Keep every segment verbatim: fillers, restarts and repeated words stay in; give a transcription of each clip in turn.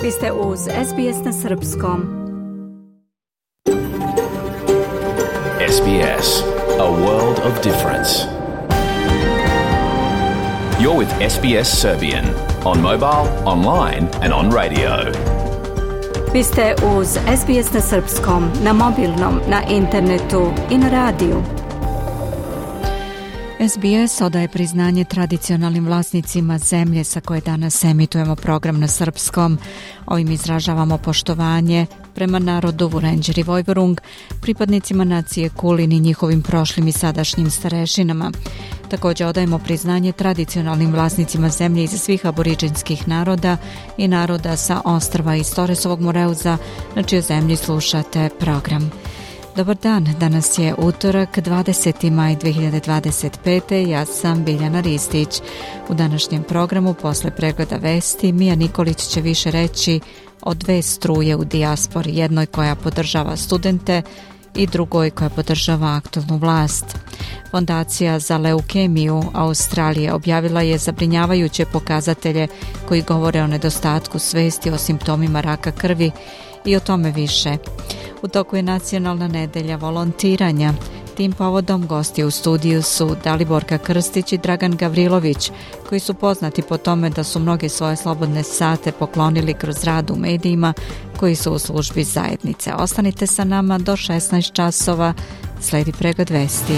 Vi ste uz S B S na srpskom. S B S, a world of difference. You're with S B S Serbian on mobile, online and on radio. Vi ste uz S B S na srpskom, na mobilnom, na internetu i na radiju. S B S odaje priznanje tradicionalnim vlasnicima zemlje sa koje danas emitujemo program na srpskom. Ovim izražavamo poštovanje prema narodu Vurenđer i Vojvorung, pripadnicima nacije Kulin i njihovim prošlim i sadašnjim starešinama. Također odajemo priznanje tradicionalnim vlasnicima zemlje iz svih aboriđinskih naroda i naroda sa ostrva iz Toresovog Moreuza, na čijoj zemlji slušate program. Dobar dan, danas je utorak, dvadeseti maj dve hiljade dvadeset pete. Ja sam Biljana Ristić. U današnjem programu posle pregleda vesti Mija Nikolić će više reći o dve struje u dijaspori, jednoj koja podržava studente i drugoj koja podržava aktualnu vlast. Fondacija za leukemiju Australije objavila je zabrinjavajuće pokazatelje koji govore o nedostatku svesti o simptomima raka krvi i o tome više. U toku je nacionalna nedelja volontiranja. Tim povodom gosti u studiju su Daliborka Krstić i Dragan Gavrilović, koji su poznati po tome da su mnoge svoje slobodne sate poklonili kroz rad u medijima koji su u službi zajednice. Ostanite sa nama do šesnaest časova, sledi pregled vesti.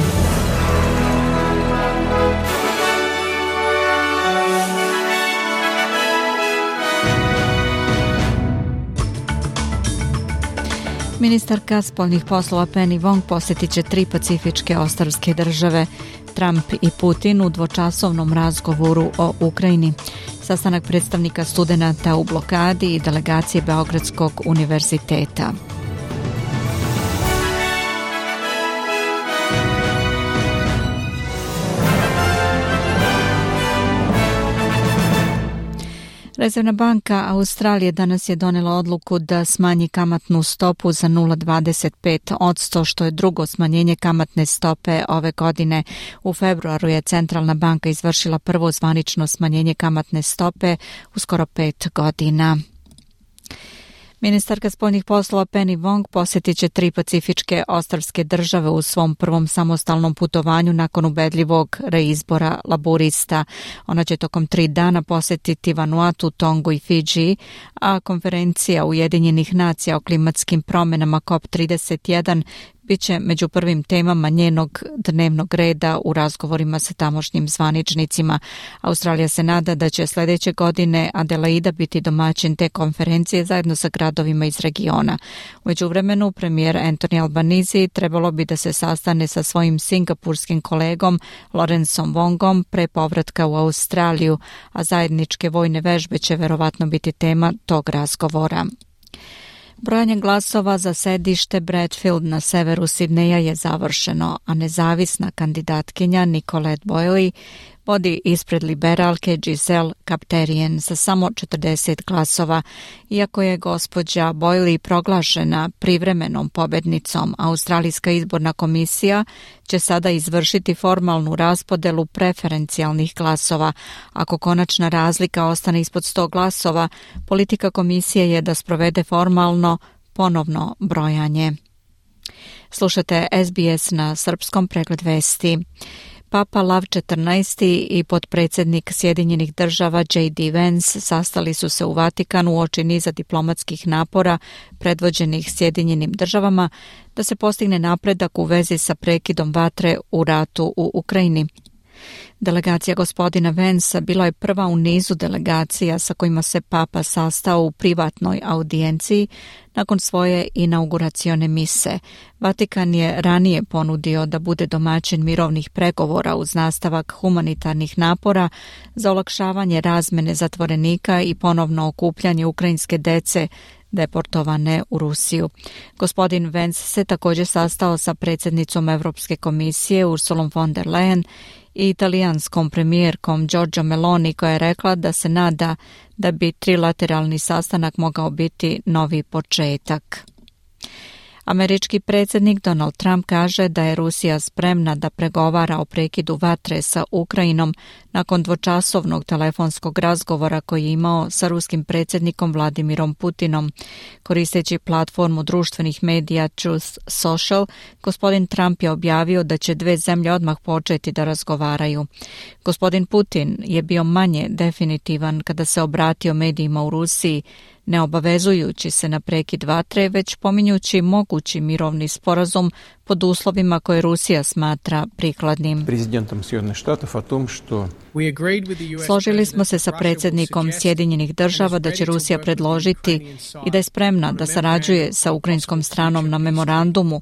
Ministarka spoljnih poslova Penny Wong posjetit će tri pacifičke ostrvske države. Trump i Putin u dvočasovnom razgovoru o Ukrajini. Sastanak predstavnika studenata u blokadi i delegacije Beogradskog univerziteta. Rezervna banka Australije danas je donela odluku da smanji kamatnu stopu za nula zarez dvadeset pet posto, što je drugo smanjenje kamatne stope ove godine. U februaru je centralna banka izvršila prvo zvanično smanjenje kamatne stope u skoro pet godina. Ministarka spoljnih poslova Penny Wong posjetit će tri pacifičke ostrvske države u svom prvom samostalnom putovanju nakon ubedljivog reizbora laburista. Ona će tokom tri dana posjetiti Vanuatu, Tongu i Fidži, a konferencija Ujedinjenih nacija o klimatskim promjenama C O P trideset jedan bit će među prvim temama njenog dnevnog reda u razgovorima sa tamošnjim zvaničnicima. Australija se nada da će sljedeće godine Adelaida biti domaćin te konferencije zajedno sa gradovima iz regiona. U međuvremenu premijer Anthony Albanese trebalo bi da se sastane sa svojim singapurskim kolegom Lawrenceom Wongom pre povratka u Australiju, a zajedničke vojne vežbe će verovatno biti tema tog razgovora. Brojanje glasova za sedište Bradfield na severu Sidneja je završeno, a nezavisna kandidatkinja Nicolette Boyle vodi ispred liberalke Giselle Kapterian sa samo četrdeset glasova. Iako je gospođa Boyle proglašena privremenom pobednicom, Australijska izborna komisija će sada izvršiti formalnu raspodelu preferencijalnih glasova. Ako konačna razlika ostane ispod sto glasova, politika komisije je da sprovede formalno ponovno brojanje. Slušate S B S na srpskom, pregled vesti. Papa Lav četrnaesti i potpredsjednik Sjedinjenih država J D Vance sastali su se u Vatikanu uoči niza diplomatskih napora predvođenih Sjedinjenim državama da se postigne napredak u vezi sa prekidom vatre u ratu u Ukrajini. Delegacija gospodina Vansa bila je prva u nizu delegacija sa kojima se Papa sastao u privatnoj audijenciji nakon svoje inauguracione mise. Vatikan je ranije ponudio da bude domaćin mirovnih pregovora uz nastavak humanitarnih napora za olakšavanje razmene zatvorenika i ponovno okupljanje ukrajinske dece deportovane u Rusiju. Gospodin Vance se također sastao sa predsjednicom Europske komisije Ursulom von der Leyen i italijanskom premijerkom Giorgio Meloni, koja je rekla da se nada da bi trilateralni sastanak mogao biti novi početak. Američki predsjednik Donald Trump kaže da je Rusija spremna da pregovara o prekidu vatre sa Ukrajinom nakon dvočasovnog telefonskog razgovora koji je imao sa ruskim predsjednikom Vladimirom Putinom. Koristeći platformu društvenih medija Truth Social, gospodin Trump je objavio da će dve zemlje odmah početi da razgovaraju. Gospodin Putin je bio manje definitivan kada se obratio medijima u Rusiji, ne obavezujući se na prekid vatre, već pominjući mogući mirovni sporazum pod uslovima koje Rusija smatra prikladnim. Složili smo se sa predsjednikom Sjedinjenih država da će Rusija predložiti i da je spremna da sarađuje sa ukrajinskom stranom na memorandumu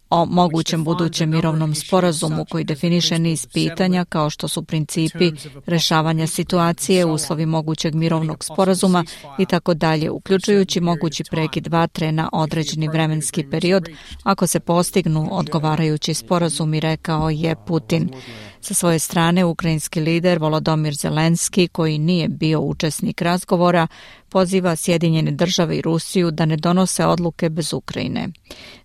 o mogućem budućem mirovnom sporazumu koji definiše niz pitanja kao što su principi rešavanja situacije, uslovi mogućeg mirovnog sporazuma i tako dalje, uključujući mogući prekid vatre na određeni vremenski period ako se postignu odgovarajući sporazumi, rekao je Putin. Sa svoje strane, ukrajinski lider Volodymyr Zelenski, koji nije bio učesnik razgovora, poziva Sjedinjene države i Rusiju da ne donose odluke bez Ukrajine.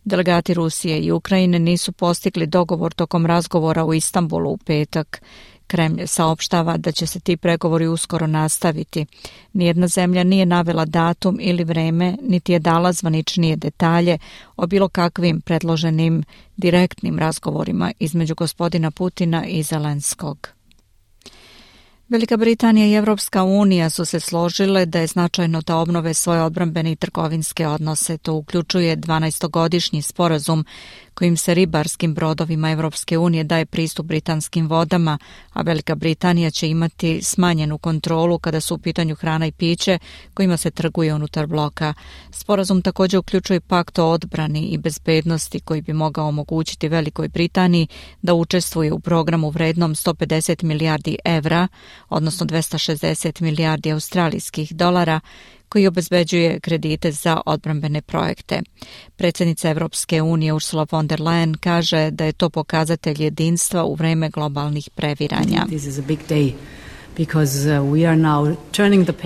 Delegati Rusije i Ukrajine nisu postigli dogovor tokom razgovora u Istanbulu u petak. Kremlj saopštava da će se ti pregovori uskoro nastaviti. Nijedna zemlja nije navela datum ili vreme, niti je dala zvaničnije detalje o bilo kakvim predloženim direktnim razgovorima između gospodina Putina i Zelenskog. Velika Britanija i Evropska unija su se složile da je značajno da obnove svoje odbrambene i trgovinske odnose. To uključuje dvanaestogodišnji sporazum kojim se ribarskim brodovima Evropske unije daje pristup britanskim vodama, a Velika Britanija će imati smanjenu kontrolu kada su u pitanju hrana i piće kojima se trguje unutar bloka. Sporazum također uključuje pakt o odbrani i bezbednosti koji bi mogao omogućiti Velikoj Britaniji da učestvuje u programu vrednom sto pedeset milijardi evra, odnosno dvesta šezdeset milijardi australijskih dolara, koji obezbeđuje kredite za odbrambene projekte. Predsjednica Evropske unije Ursula von der Leyen kaže da je to pokazatelj jedinstva u vreme globalnih previranja.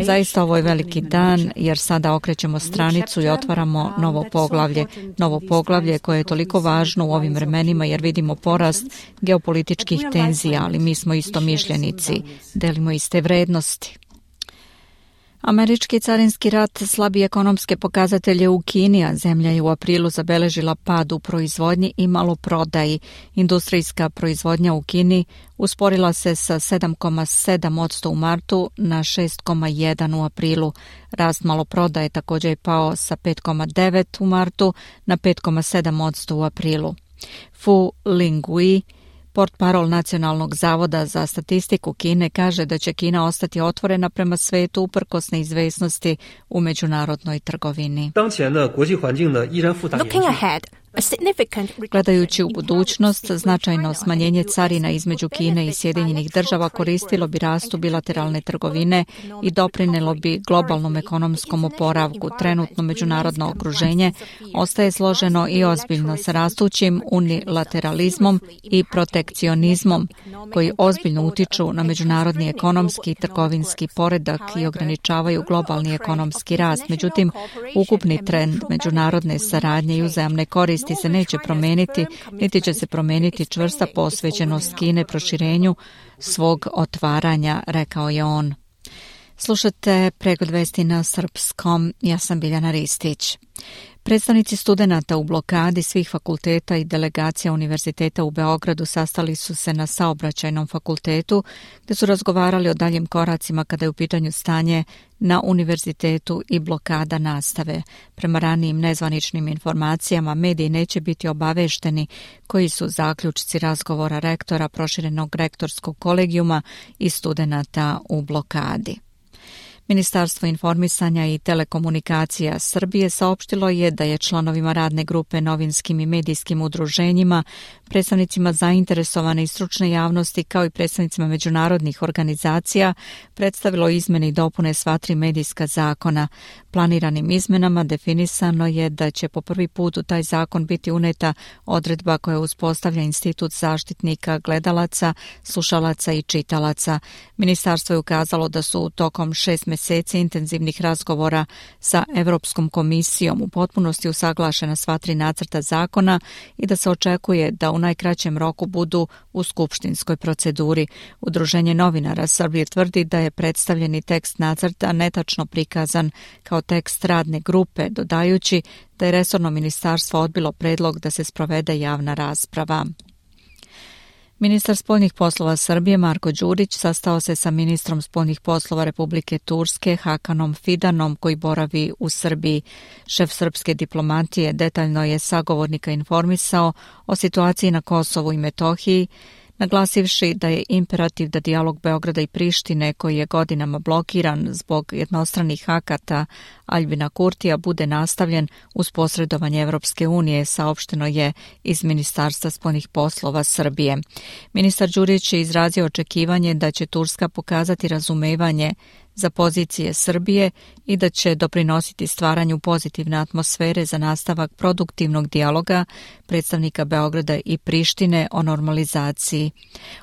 Zaista ovo je veliki dan jer sada okrećemo stranicu i otvaramo novo poglavlje. Novo poglavlje koje je toliko važno u ovim vremenima jer vidimo porast geopolitičkih tenzija, ali mi smo istomišljenici, delimo iste vrednosti. Američki carinski rat slabi ekonomske pokazatelje u Kini, a zemlja je u aprilu zabeležila pad u proizvodnji i maloprodaji. Industrijska proizvodnja u Kini usporila se sa sedam zarez sedam posto u martu na šest zarez jedan u aprilu. Rast maloprodaje također je pao sa pet zarez devet u martu na pet zarez sedam posto u aprilu. Fu Lingui, portparol Nacionalnog zavoda za statistiku Kine, kaže da će Kina ostati otvorena prema svetu uprkos neizvesnosti u međunarodnoj trgovini. Looking ahead, Gledajući u budućnost, značajno smanjenje carina između Kine i Sjedinjenih država koristilo bi rastu bilateralne trgovine i doprinelo bi globalnom ekonomskom oporavku. Trenutno međunarodno okruženje ostaje složeno i ozbiljno sa rastućim unilateralizmom i protekcionizmom koji ozbiljno utiču na međunarodni ekonomski i trgovinski poredak i ograničavaju globalni ekonomski rast. Međutim, ukupni trend međunarodne saradnje i uzajamne koristi se neće promijeniti, niti će se promijeniti čvrsta posvećenost Kine proširenju svog otvaranja, rekao je on. Slušate pregled vesti na srpskom, ja sam Biljana Ristić. Predstavnici studenata u blokadi svih fakulteta i delegacija Univerziteta u Beogradu sastali su se na Saobraćajnom fakultetu, gdje su razgovarali o daljim koracima kada je u pitanju stanje na univerzitetu i blokada nastave. Prema ranijim nezvaničnim informacijama, mediji neće biti obavešteni koji su zaključci razgovora rektora proširenog rektorskog kolegijuma i studenata u blokadi. Ministarstvo informisanja i telekomunikacija Srbije saopštilo je da je članovima radne grupe novinskim i medijskim udruženjima, predstavnicima zainteresovane i stručne javnosti kao i predstavnicima međunarodnih organizacija predstavilo izmene i dopune sva tri medijska zakona. Planiranim izmenama definisano je da će po prvi put u taj zakon biti uneta odredba koja uspostavlja institut zaštitnika gledalaca, slušalaca i čitalaca. Ministarstvo je ukazalo da su tokom šest mjeseci meseci intenzivnih razgovora sa Evropskom komisijom u potpunosti usaglašena sva tri nacrta zakona i da se očekuje da u najkraćem roku budu u skupštinskoj proceduri. Udruženje novinara Srbije tvrdi da je predstavljeni tekst nacrta netačno prikazan kao tekst radne grupe, dodajući da je resorno ministarstvo odbilo predlog da se sprovede javna rasprava. Ministar spoljnih poslova Srbije Marko Đurić sastao se sa ministrom spoljnih poslova Republike Turske Hakanom Fidanom koji boravi u Srbiji. Šef srpske diplomatije detaljno je sagovornika informisao o situaciji na Kosovu i Metohiji, naglasivši da je imperativ da dijalog Beograda i Prištine, koji je godinama blokiran zbog jednostranih akata Aljbina Kurtija, bude nastavljen uz posredovanje Evropske unije, saopšteno je iz Ministarstva spoljnih poslova Srbije. Ministar Đurić je izrazio očekivanje da će Turska pokazati razumevanje za pozicije Srbije i da će doprinositi stvaranju pozitivne atmosfere za nastavak produktivnog dijaloga predstavnika Beograda i Prištine o normalizaciji.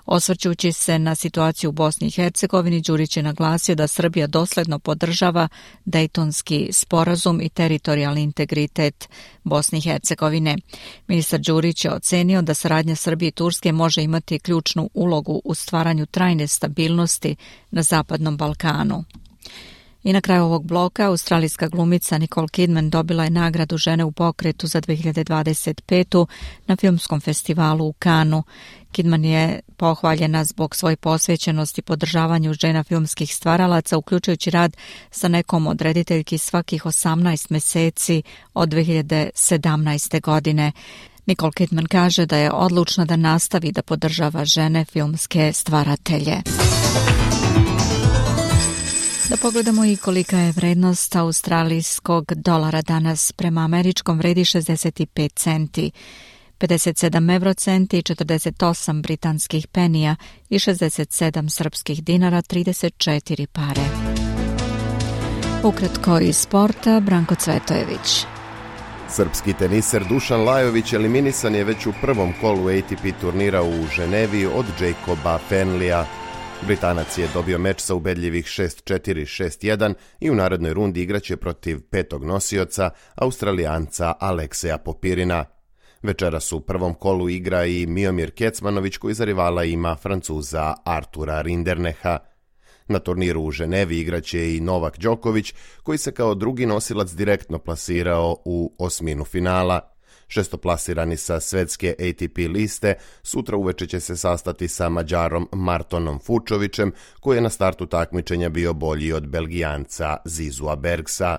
Osvrćući se na situaciju u Bosni i Hercegovini, Đurić je naglasio da Srbija dosledno podržava Dejtonski sporazum i teritorijalni integritet Bosne i Hercegovine. Ministar Đurić je ocenio da saradnja Srbije i Turske može imati ključnu ulogu u stvaranju trajne stabilnosti na Zapadnom Balkanu. I na kraju ovog bloka australijska glumica Nicole Kidman dobila je nagradu Žene u pokretu za dve hiljade dvadeset petu na filmskom festivalu u Kanu. Kidman je pohvaljena zbog svoje posvećenosti podržavanju žena filmskih stvaralaca, uključujući rad sa nekom od rediteljki svakih osamnaest meseci od dve hiljade sedamnaeste. godine. Nicole Kidman kaže da je odlučna da nastavi da podržava žene filmske stvaratelje. Da pogledamo i kolika je vrednost australijskog dolara danas. Prema američkom vredi šezdeset pet centi, pedeset sedam evrocenti, četrdeset osam britanskih penija i šezdeset sedam srpskih dinara, trideset četiri pare. Ukratko iz sporta, Branko Cvetojević. Srpski teniser Dušan Lajović eliminisan je već u prvom kolu A T P turnira u Ženevi od Jacoba Fenlija. Britanac je dobio meč sa ubedljivih šest četiri šest jedan i u narednoj rundi igraće protiv petog nosioca, Australijanca Alekseja Popirina. Večeras u prvom kolu igra i Miomir Kecmanović koji za rivala ima Francuza Artura Rinderneha. Na turniru u Ženevi igraće i Novak Đoković koji se kao drugi nosilac direktno plasirao u osminu finala. Šestoplasirani sa svetske A T P liste sutra uveče će se sastati sa Mađarom Martonom Fučovićem koji je na startu takmičenja bio bolji od Belgijanca Zizua Bergsa.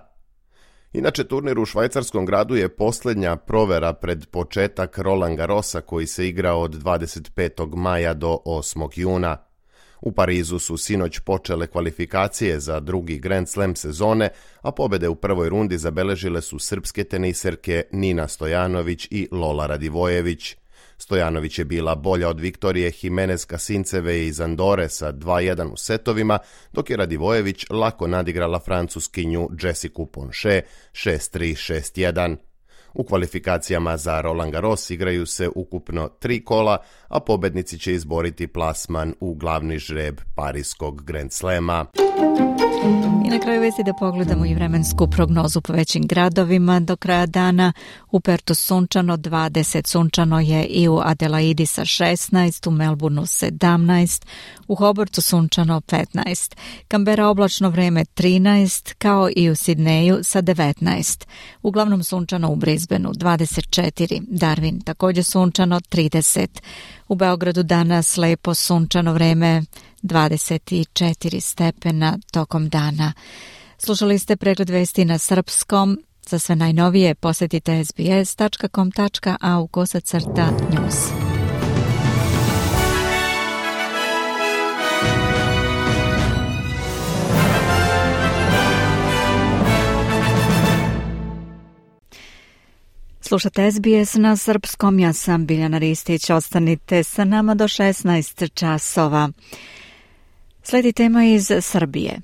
Inače, turnir u švajcarskom gradu je posljednja provera pred početak Roland Garrosa koji se igra od dvadeset petog maja do osmog juna. U Parizu su sinoć počele kvalifikacije za drugi Grand Slam sezone, a pobjede u prvoj rundi zabeležile su srpske teniserke Nina Stojanović i Lola Radivojević. Stojanović je bila bolja od Viktorije Jimenez Kasinceve iz Andore sa dva jedan u setovima, dok je Radivojević lako nadigrala francuskinju Jessicu Ponche šest tri šest jedan. U kvalifikacijama za Roland Garros igraju se ukupno tri kola, a pobednici će izboriti plasman u glavni žreb Pariskog Grand Slema. I na kraju vesti da pogledamo i vremensku prognozu po većim gradovima. Do kraja dana u Pertu sunčano, dvadeset, sunčano je i u Adelaidi sa šesnaest, u Melbourneu sedamnaest, u Hobartu sunčano petnaest, Kambera oblačno vreme trinaest, kao i u Sidneju sa devetnaest. Uglavnom sunčano u Brisbaneu dvadeset četiri, Darwin također sunčano trideset. U Beogradu danas lepo sunčano vreme dvadeset četiri stepena tokom dana. Slušali ste pregled vesti na srpskom. Za sve najnovije posjetite s b s tačka com tačka a u kosacrta news. Slušate S B S na srpskom, ja sam Biljana Ristić, ostanite sa nama do šesnaest časova. Slijedi tema iz Srbije.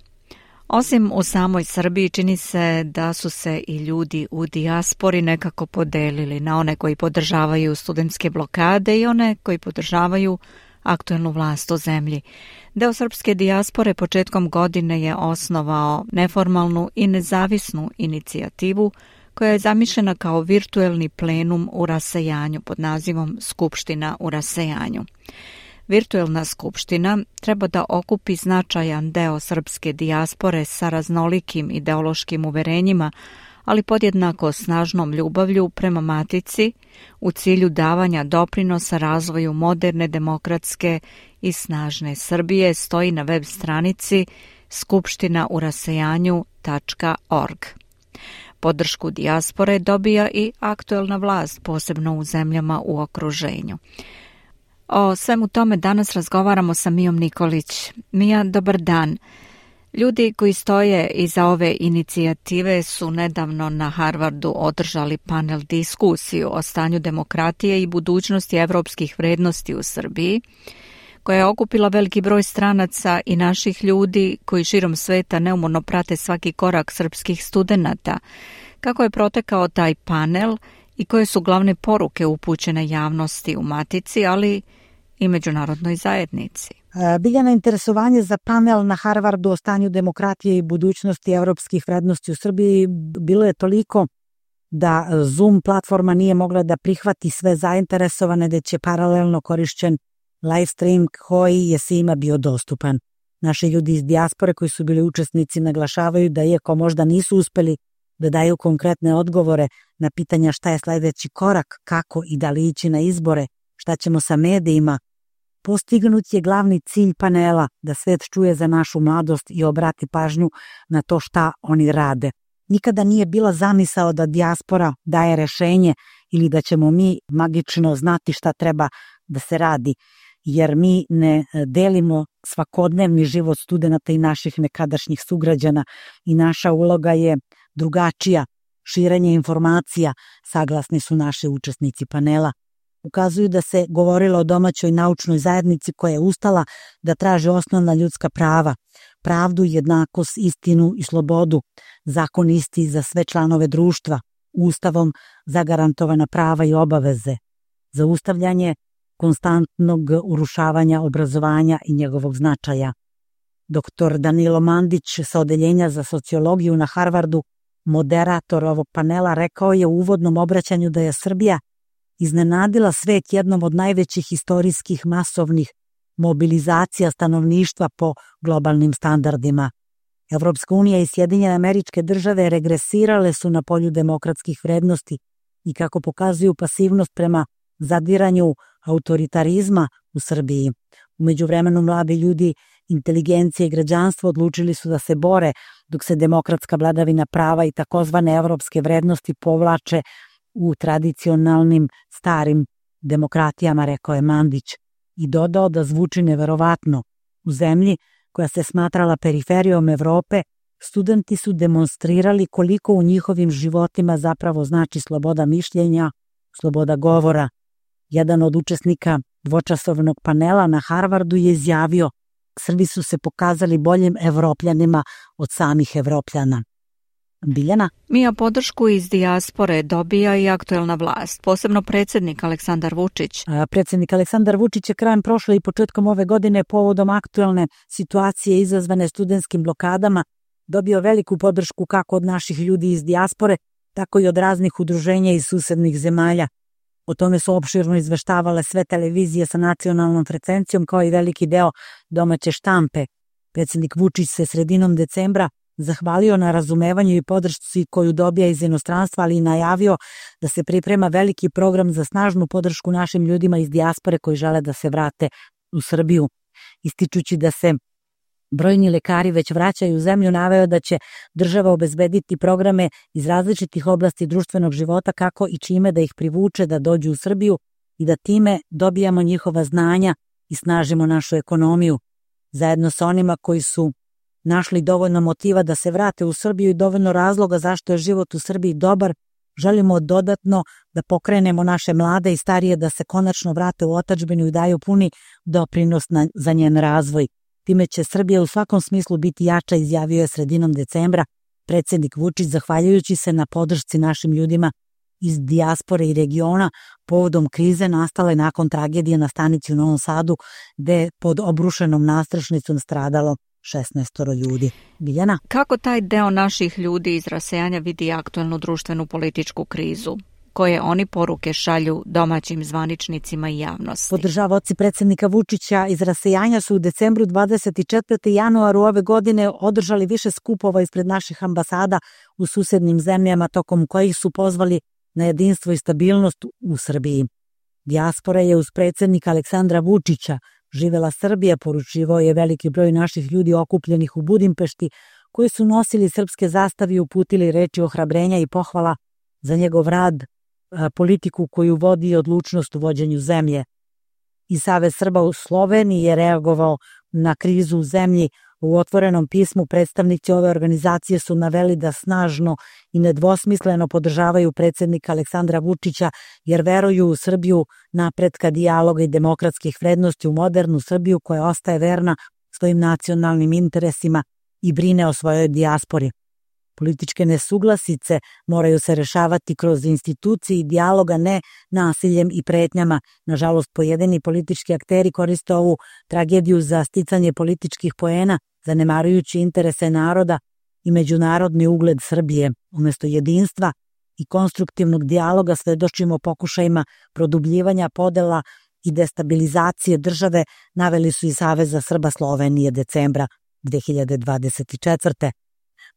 Osim u samoj Srbiji, čini se da su se i ljudi u dijaspori nekako podelili na one koji podržavaju studentske blokade i one koji podržavaju aktuelnu vlast u zemlji. Deo srpske dijaspore početkom godine je osnovao neformalnu i nezavisnu inicijativu koja je zamišljena kao virtuelni plenum u rasejanju pod nazivom Skupština u rasejanju. Virtuelna skupština treba da okupi značajan deo srpske dijaspore sa raznolikim ideološkim uverenjima, ali podjednako snažnom ljubavlju prema matici u cilju davanja doprinosa razvoju moderne, demokratske i snažne Srbije, stoji na web stranici skupština u rasejanju tačka org. Podršku dijaspore dobija i aktuelna vlast, posebno u zemljama u okruženju. O svemu tome danas razgovaramo sa Mijom Nikolić. Mija, dobar dan. Ljudi koji stoje iza ove inicijative su nedavno na Harvardu održali panel diskusiju o stanju demokratije i budućnosti evropskih vrednosti u Srbiji, koja je okupila veliki broj stranaca i naših ljudi koji širom sveta neumorno prate svaki korak srpskih studenata. Kako je protekao taj panel i koje su glavne poruke upućene javnosti u Matici, ali i međunarodnoj zajednici? Biljana, interesovanje za panel na Harvardu o stanju demokratije i budućnosti evropskih vrednosti u Srbiji bilo je toliko da Zoom platforma nije mogla da prihvati sve zainteresovane, da će paralelno korišćen live stream koji je svima bio dostupan. Naši ljudi iz dijaspore koji su bili učesnici naglašavaju da iako možda nisu uspeli da daju konkretne odgovore na pitanja šta je sledeći korak, kako i da li ići na izbore, šta ćemo sa medijima, postignut je glavni cilj panela da svet čuje za našu mladost i obrati pažnju na to šta oni rade. Nikada nije bila zamisao da dijaspora daje rešenje ili da ćemo mi magično znati šta treba da se radi, jer mi ne delimo svakodnevni život studenata i naših nekadašnjih sugrađana i naša uloga je drugačija, širenje informacija, saglasni su naši učesnici panela. Ukazuju da se govorilo o domaćoj naučnoj zajednici koja je ustala da traži osnovna ljudska prava, pravdu, jednakost, istinu i slobodu, zakon isti za sve članove društva, ustavom zagarantovana prava i obaveze, zaustavljanje konstantnog urušavanja obrazovanja i njegovog značaja. Doktor Danilo Mandić sa Odeljenja za sociologiju na Harvardu, moderator ovog panela, rekao je u uvodnom obraćanju da je Srbija iznenadila svet jednom od najvećih istorijskih masovnih mobilizacija stanovništva po globalnim standardima. Evropska unija i Sjedinjene Američke Države regresirale su na polju demokratskih vrednosti i kako pokazuju pasivnost prema zadiranju autoritarizma u Srbiji. U međuvremenu mladi ljudi, inteligencija i građanstvo odlučili su da se bore dok se demokratska vladavina prava i takozvane evropske vrednosti povlače u tradicionalnim starim demokratijama, rekao je Mandić, i dodao da zvuči neverovatno. U zemlji koja se smatrala periferijom Evrope, studenti su demonstrirali koliko u njihovim životima zapravo znači sloboda mišljenja, sloboda govora. Jedan od učesnika dvočasovnog panela na Harvardu je izjavio: Srbi su se pokazali boljim Evropljanima od samih Evropljana. Biljana? Mija, podršku iz dijaspore dobija i aktuelna vlast, posebno predsjednik Aleksandar Vučić. A, predsjednik Aleksandar Vučić je krajem prošle i početkom ove godine povodom aktuelne situacije izazvane studentskim blokadama dobio veliku podršku kako od naših ljudi iz dijaspore, tako i od raznih udruženja iz susednih zemalja. O tome su opširno izveštavale sve televizije sa nacionalnom frekvencijom kao i veliki deo domaće štampe. Predsjednik Vučić se sredinom decembra zahvalio na razumevanju i podršci koju dobija iz inostranstva, ali i najavio da se priprema veliki program za snažnu podršku našim ljudima iz dijaspore koji žele da se vrate u Srbiju. Ističući da se brojni lekari već vraćaju u zemlju, naveo da će država obezbediti programe iz različitih oblasti društvenog života kako i čime da ih privuče da dođu u Srbiju i da time dobijamo njihova znanja i snažimo našu ekonomiju. Zajedno sa onima koji su našli dovoljno motiva da se vrate u Srbiju i dovoljno razloga zašto je život u Srbiji dobar, želimo dodatno da pokrenemo naše mlade i starije da se konačno vrate u otadžbinu i daju puni doprinos na, za njen razvoj. Time će Srbija u svakom smislu biti jača, izjavio je sredinom decembra predsjednik Vučić, zahvaljujući se na podršci našim ljudima iz dijaspore i regiona povodom krize nastale nakon tragedije na stanici u Novom Sadu, gde je pod obrušenom nastrešnicom stradalo šesnaestoro ljudi. Biljana? Kako taj deo naših ljudi iz rasejanja vidi aktuelnu društvenu političku krizu? Koje oni poruke šalju domaćim zvaničnicima i javnosti? Podržavaoci predsjednika Vučića iz rasejanja su u decembru dvadeset četvrtog i januaru ove godine održali više skupova ispred naših ambasada u susednim zemljama, tokom kojih su pozvali na jedinstvo i stabilnost u Srbiji. Dijaspora je uz predsjednika Aleksandra Vučića živela Srbija, poručivao je veliki broj naših ljudi okupljenih u Budimpešti, koji su nosili srpske zastave i uputili reči ohrabrenja i pohvala za njegov rad, politiku koju vodi i odlučnost u vođenju zemlje. I Savez Srba u Sloveniji je reagovao na krizu u zemlji. U otvorenom pismu predstavnici ove organizacije su naveli da snažno i nedvosmisleno podržavaju predsjednika Aleksandra Vučića, jer veruju u Srbiju napretka, dijaloga i demokratskih vrednosti, u modernu Srbiju koja ostaje verna svojim nacionalnim interesima i brine o svojoj dijaspori. Političke nesuglasice moraju se rešavati kroz institucije i dijaloga, ne nasiljem i pretnjama. Nažalost, pojedini politički akteri koriste ovu tragediju za sticanje političkih poena, zanemarujući interese naroda i međunarodni ugled Srbije. Umjesto jedinstva i konstruktivnog dijaloga svedočimo pokušajima produbljivanja podela i destabilizacije države, naveli su i Saveza Srba Slovenije decembra dve hiljade dvadeset četvrte.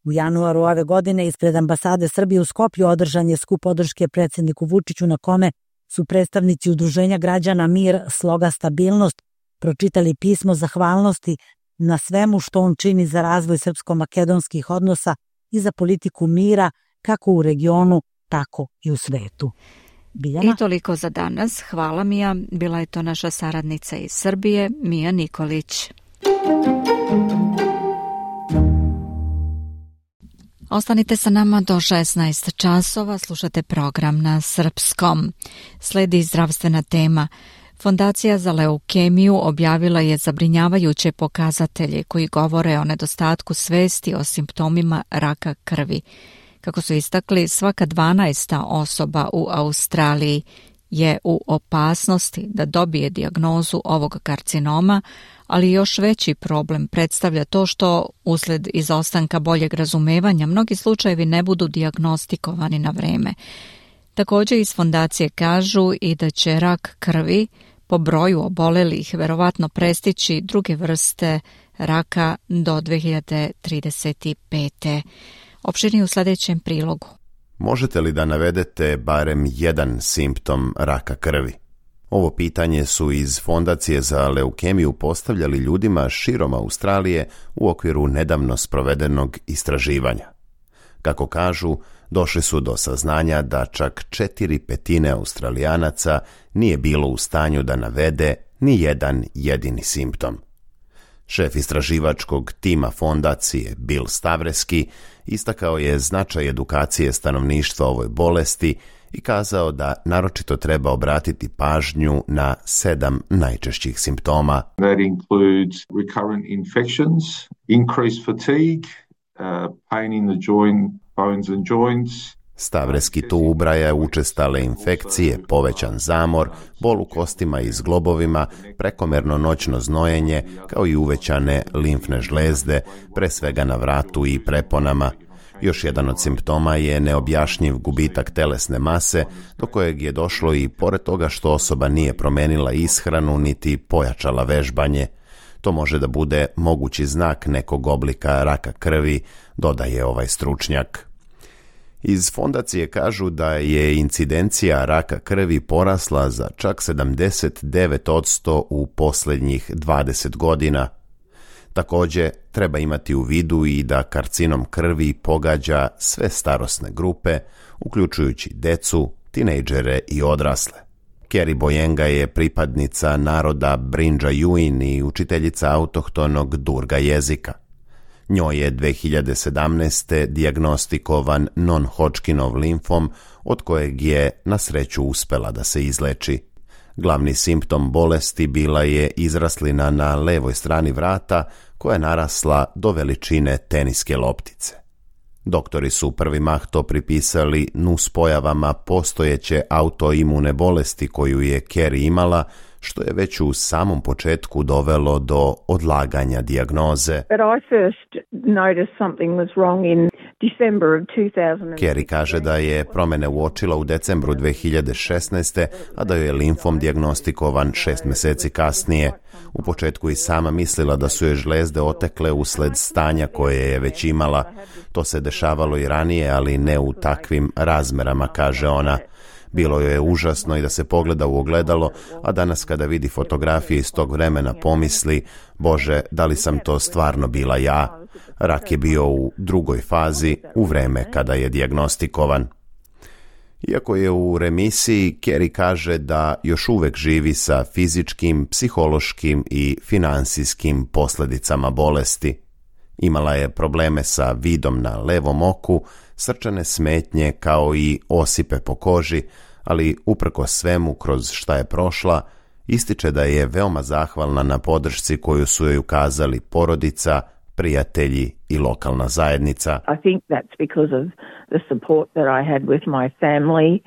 U januaru ove godine ispred ambasade Srbije u Skoplju održan je skup podrške predsjedniku Vučiću, na kome su predstavnici Udruženja građana Mir, sloga Stabilnost pročitali pismo zahvalnosti na svemu što on čini za razvoj srpsko-makedonskih odnosa i za politiku mira kako u regionu, tako i u svetu. Biljana? I toliko za danas. Hvala Mija. Bila je to naša saradnica iz Srbije, Mija Nikolić. Ostanite sa nama do šesnaest časova, slušate program na srpskom. Sledi zdravstvena tema. Fondacija za leukemiju objavila je zabrinjavajuće pokazatelje koji govore o nedostatku svesti o simptomima raka krvi. Kako su istakli, svaka dvanaesta osoba u Australiji je u opasnosti da dobije dijagnozu ovog karcinoma, ali još veći problem predstavlja to što usled izostanka boljeg razumevanja mnogi slučajevi ne budu dijagnostikovani na vreme. Također iz fondacije kažu i da će rak krvi po broju obolelih verovatno prestići druge vrste raka do dve hiljade trideset pete. Opširnije u sljedećem prilogu. Možete li da navedete barem jedan simptom raka krvi? Ovo pitanje su iz Fondacije za leukemiju postavljali ljudima širom Australije u okviru nedavno sprovedenog istraživanja. Kako kažu, došli su do saznanja da čak četiri petine Australijanaca nije bilo u stanju da navede ni jedan jedini simptom. Šef istraživačkog tima fondacije Bill Stavreski istakao je značaj edukacije stanovništva o ovoj bolesti i kazao da naročito treba obratiti pažnju na sedam najčešćih simptoma. That includes recurrent infections, increased fatigue, uh, pain in the joint, bones and joints. Stavreski tu ubraja učestale infekcije, povećan zamor, bol u kostima i zglobovima, prekomerno noćno znojenje, kao i uvećane limfne žlezde, pre svega na vratu i preponama. Još jedan od simptoma je neobjašnjiv gubitak telesne mase, do kojeg je došlo i pored toga što osoba nije promenila ishranu niti pojačala vežbanje. To može da bude mogući znak nekog oblika raka krvi, dodaje ovaj stručnjak. Iz fondacije kažu da je incidencija raka krvi porasla za čak sedamdeset devet posto u posljednjih dvadeset godina. Također, treba imati u vidu i da karcinom krvi pogađa sve starosne grupe, uključujući decu, tinejdžere i odrasle. Kerry Boyenga je pripadnica naroda Brinja-Juin i učiteljica autohtonog Durga jezika. Njoj je dve hiljade sedamnaeste. dijagnostikovan non-Hodgkinov limfom, od kojeg je na sreću uspela da se izleči. Glavni simptom bolesti bila je izraslina na levoj strani vrata koja je narasla do veličine teniske loptice. Doktori su prvi mah to pripisali nuspojavama postojeće autoimune bolesti koju je Kerry imala, što je već u samom početku dovelo do odlaganja dijagnoze. Kerry kaže da je promjene uočila u decembru dve hiljade šesnaeste. a da joj je limfom dijagnostikovan šest mjeseci kasnije. U početku i sama mislila da su joj žlezde otekle usled stanja koje je već imala. To se dešavalo i ranije, ali ne u takvim razmerama, kaže ona. Bilo joj je užasno i da se pogleda u ogledalo, a danas kada vidi fotografije iz tog vremena pomisli, Bože, da li sam to stvarno bila ja? Rak je bio u drugoj fazi, u vreme kada je dijagnostikovan. Iako je u remisiji, Kerry kaže da još uvek živi sa fizičkim, psihološkim i finansijskim posljedicama bolesti. Imala je probleme sa vidom na levom oku, srčane smetnje kao i osipe po koži, ali uprkos svemu kroz šta je prošla, ističe da je veoma zahvalna na podršci koju su joj ukazali porodica, prijatelji i lokalna zajednica. I think that's because of the support that I had with my family.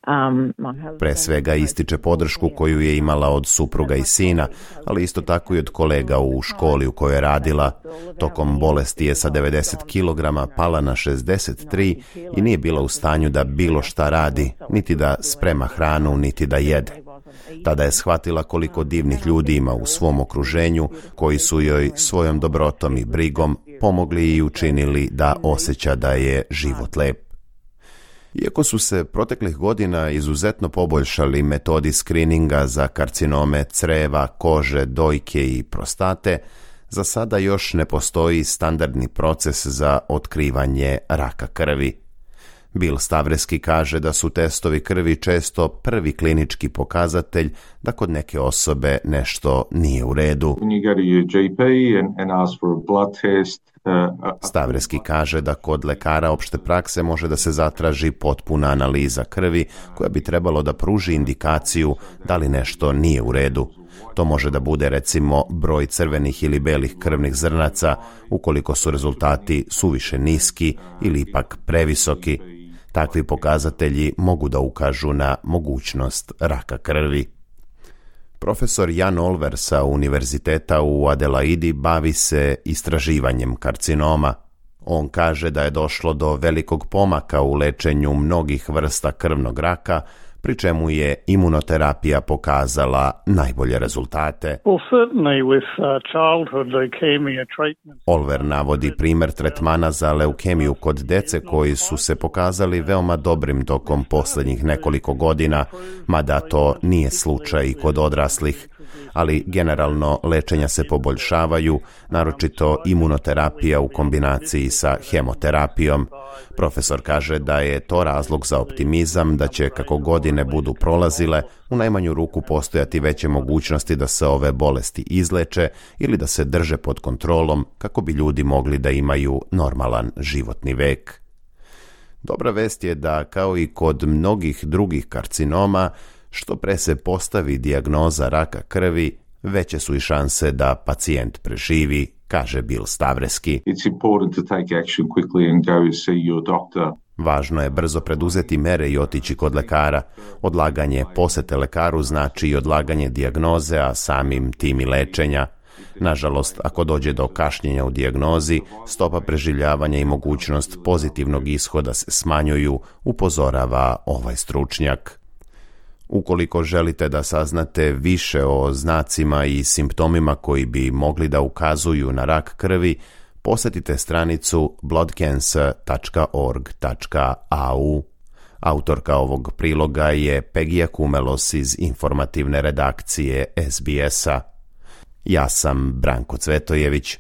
Um, Pre svega ističe podršku koju je imala od supruga i sina, ali isto tako i od kolega u školi u kojoj je radila. Tokom bolesti je sa devedeset kilograma pala na šezdeset tri i nije bila u stanju da bilo šta radi, niti da sprema hranu, niti da jede. Tada je shvatila koliko divnih ljudi ima u svom okruženju, koji su joj svojom dobrotom i brigom pomogli i učinili da osjeća da je život lep. Iako su se proteklih godina izuzetno poboljšali metodi skrininga za karcinome creva, kože, dojke i prostate, za sada još ne postoji standardni proces za otkrivanje raka krvi. Bill Stavreski kaže da su testovi krvi često prvi klinički pokazatelj da kod neke osobe nešto nije u redu. Stavreski kaže da kod lekara opšte prakse može da se zatraži potpuna analiza krvi koja bi trebalo da pruži indikaciju da li nešto nije u redu. To može da bude recimo broj crvenih ili belih krvnih zrnaca ukoliko su rezultati suviše niski ili ipak previsoki. Takvi pokazatelji mogu da ukažu na mogućnost raka krvi. Profesor Jan Olver sa Univerziteta u Adelaidi bavi se istraživanjem karcinoma. On kaže da je došlo do velikog pomaka u lečenju mnogih vrsta krvnog raka, pri čemu je imunoterapija pokazala najbolje rezultate. Olver navodi primjer tretmana za leukemiju kod dece koji su se pokazali veoma dobrim tokom posljednjih nekoliko godina, mada to nije slučaj i kod odraslih. Ali generalno lečenja se poboljšavaju, naročito imunoterapija u kombinaciji sa hemoterapijom. Profesor kaže da je to razlog za optimizam, da će kako godine budu prolazile, u najmanju ruku postojati veće mogućnosti da se ove bolesti izleče ili da se drže pod kontrolom kako bi ljudi mogli da imaju normalan životni vek. Dobra vest je da, kao i kod mnogih drugih karcinoma, što pre se postavi dijagnoza raka krvi, veće su i šanse da pacijent preživi, kaže Bill Stavreski. Važno je brzo preduzeti mere i otići kod lekara. Odlaganje posete lekaru znači i odlaganje dijagnoze, a samim tim i lečenja. Nažalost, ako dođe do kašnjenja u dijagnozi, stopa preživljavanja i mogućnost pozitivnog ishoda se smanjuju, upozorava ovaj stručnjak. Ukoliko želite da saznate više o znacima i simptomima koji bi mogli da ukazuju na rak krvi, posetite stranicu blood cancer dot org dot a u. Autorka ovog priloga je Pegija Kumelos iz informativne redakcije S B S-a. Ja sam Branko Cvetojević.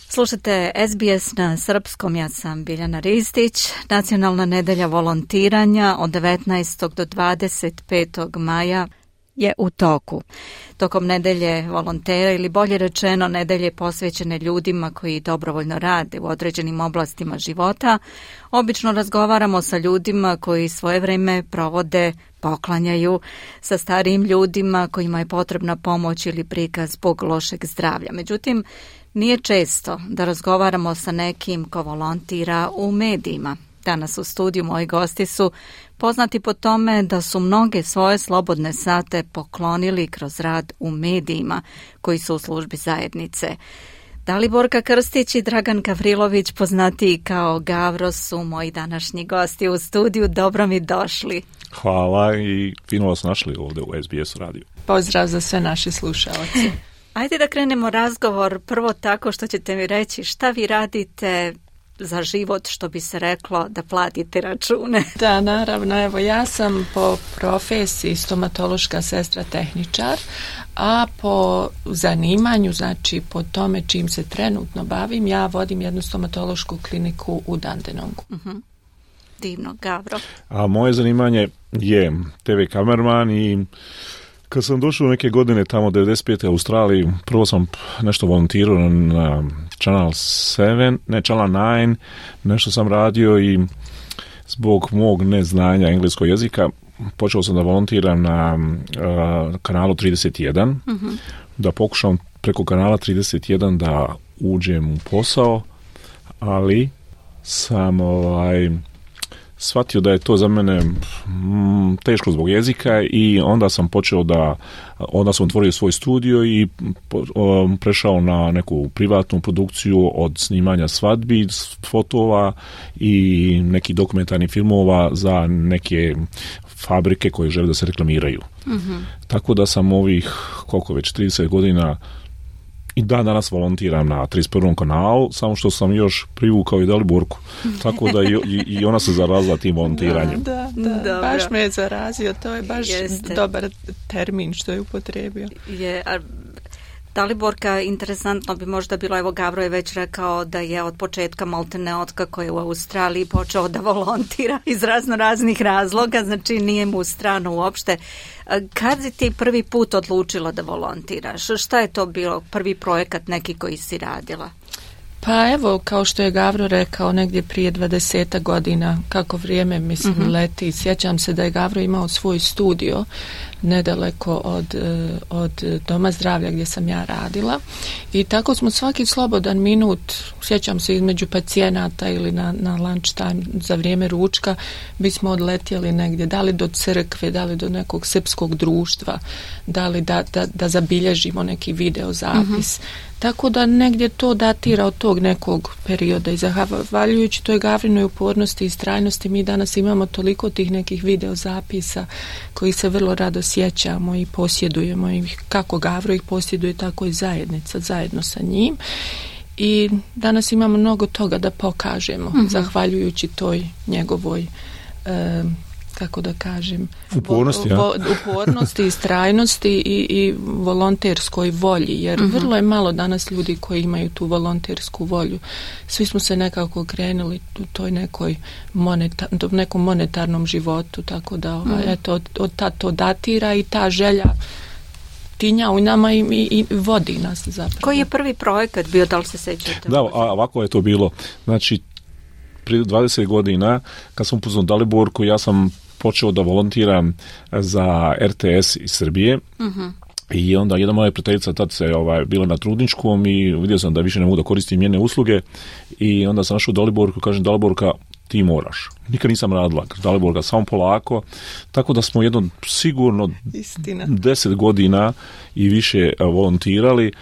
Slušajte S B S na srpskom, ja sam Biljana Ristić. Nacionalna nedelja volontiranja od devetnaestog do dvadeset petog maja je u toku. Tokom nedelje volontera ili bolje rečeno nedelje posvećene ljudima koji dobrovoljno rade u određenim oblastima života, obično razgovaramo sa ljudima koji svoje vreme provode, poklanjaju, sa starijim ljudima kojima je potrebna pomoć ili prikaz zbog lošeg zdravlja. Međutim, nije često da razgovaramo sa nekim ko volontira u medijima. Danas u studiju moji gosti su poznati po tome da su mnoge svoje slobodne sate poklonili kroz rad u medijima koji su u službi zajednice. Daliborka Krstić i Dragan Gavrilović, poznatiji kao Gavro, su moji današnji gosti u studiju. Dobro mi došli. Hvala i fino vas našli ovdje u S B S radiju. Pozdrav za sve naše slušalce. Ajde da krenemo razgovor prvo tako što ćete mi reći šta vi radite za život, što bi se reklo, da platite račune. Da, naravno, evo ja sam po profesiji stomatološka sestra tehničar, a po zanimanju, znači po tome čim se trenutno bavim, ja vodim jednu stomatološku kliniku u Dandenongu. Uh-huh. Divno, Gavro. A moje zanimanje je te ve kamerman i kad sam došao neke godine tamo devedeset pete u Australiji, prvo sam nešto volontirao na Channel sedam, ne Channel devet, nešto sam radio i zbog mog neznanja engleskog jezika počeo sam da volontiram na uh, kanalu trideset jedan, uh-huh. da pokušam preko kanala trideset jedan da uđem u posao, ali sam ovaj shvatio da je to za mene mm, teško zbog jezika i onda sam počeo da, onda sam otvorio svoj studio i po, um, prešao na neku privatnu produkciju od snimanja svadbi, fotova i nekih dokumentarnih filmova za neke fabrike koje žele da se reklamiraju. Mm-hmm. Tako da sam ovih, koliko već, trideset godina i dan danas volontiram na trideset prvom kanalu, samo što sam još privukao i Daliborku. Tako da i, i ona se zarazila tim volontiranjem. Da, da, da. Baš me je zarazio, to je baš Jeste. dobar termin što je upotrebio. Je, a Daliborka, interesantno bi možda bilo, evo Gavro je već rekao da je od početka maltene od kako je u Australiji počeo da volontira iz razno raznih razloga, znači nije mu strano uopšte. Kad si ti prvi put odlučila da volontiraš? Šta je to bilo prvi projekat neki koji si radila? Pa evo, kao što je Gavro rekao, negdje prije dvadeset godina, kako vrijeme mislim uh-huh. leti, sjećam se da je Gavro imao svoj studio nedaleko od, od Doma zdravlja gdje sam ja radila i tako smo svaki slobodan minut, sjećam se između pacijenata ili na, na lunch time za vrijeme ručka, bismo odletjeli negdje, da li do crkve, da li do nekog srpskog društva, da li da, da, da zabilježimo neki video zapis. Uh-huh. Tako da negdje to datira od tog nekog perioda i zahvaljujući toj Gavrinoj upornosti i istrajnosti mi danas imamo toliko tih nekih video zapisa koji se vrlo rado sjećamo i posjedujemo i kako Gavro ih posjeduje, tako i zajednica zajedno sa njim i danas imamo mnogo toga da pokažemo mm-hmm. zahvaljujući toj njegovoj e, kako da kažem upornosti, vo, vo, upornosti istrajnosti i, i volonterskoj volji jer mm-hmm. vrlo je malo danas ljudi koji imaju tu volontersku volju. Svi smo se nekako krenuli u toj nekoj moneta, nekom monetarnom životu, tako da ovaj, mm-hmm. eto, od, od tad to datira i ta želja tinja u nama i, i, i vodi nas zapravo. Koji je prvi projekat bio, da li se sećate? Da, a ovako je to bilo. Znači, prije dvadeset godina, kad sam upoznao Daliborku, ja sam počeo da volontiram za R T S iz Srbije. Uh-huh. I onda jedna moja prijateljica tad se ovaj, bila na trudničkom i vidio sam da više ne mogu da koristim njene usluge i onda sam našao Daliborku i kažem Daliborka, ti moraš. Nikad nisam radila. Daliborka, samo polako. Tako da smo jedno sigurno Istina. deset godina i više volontirali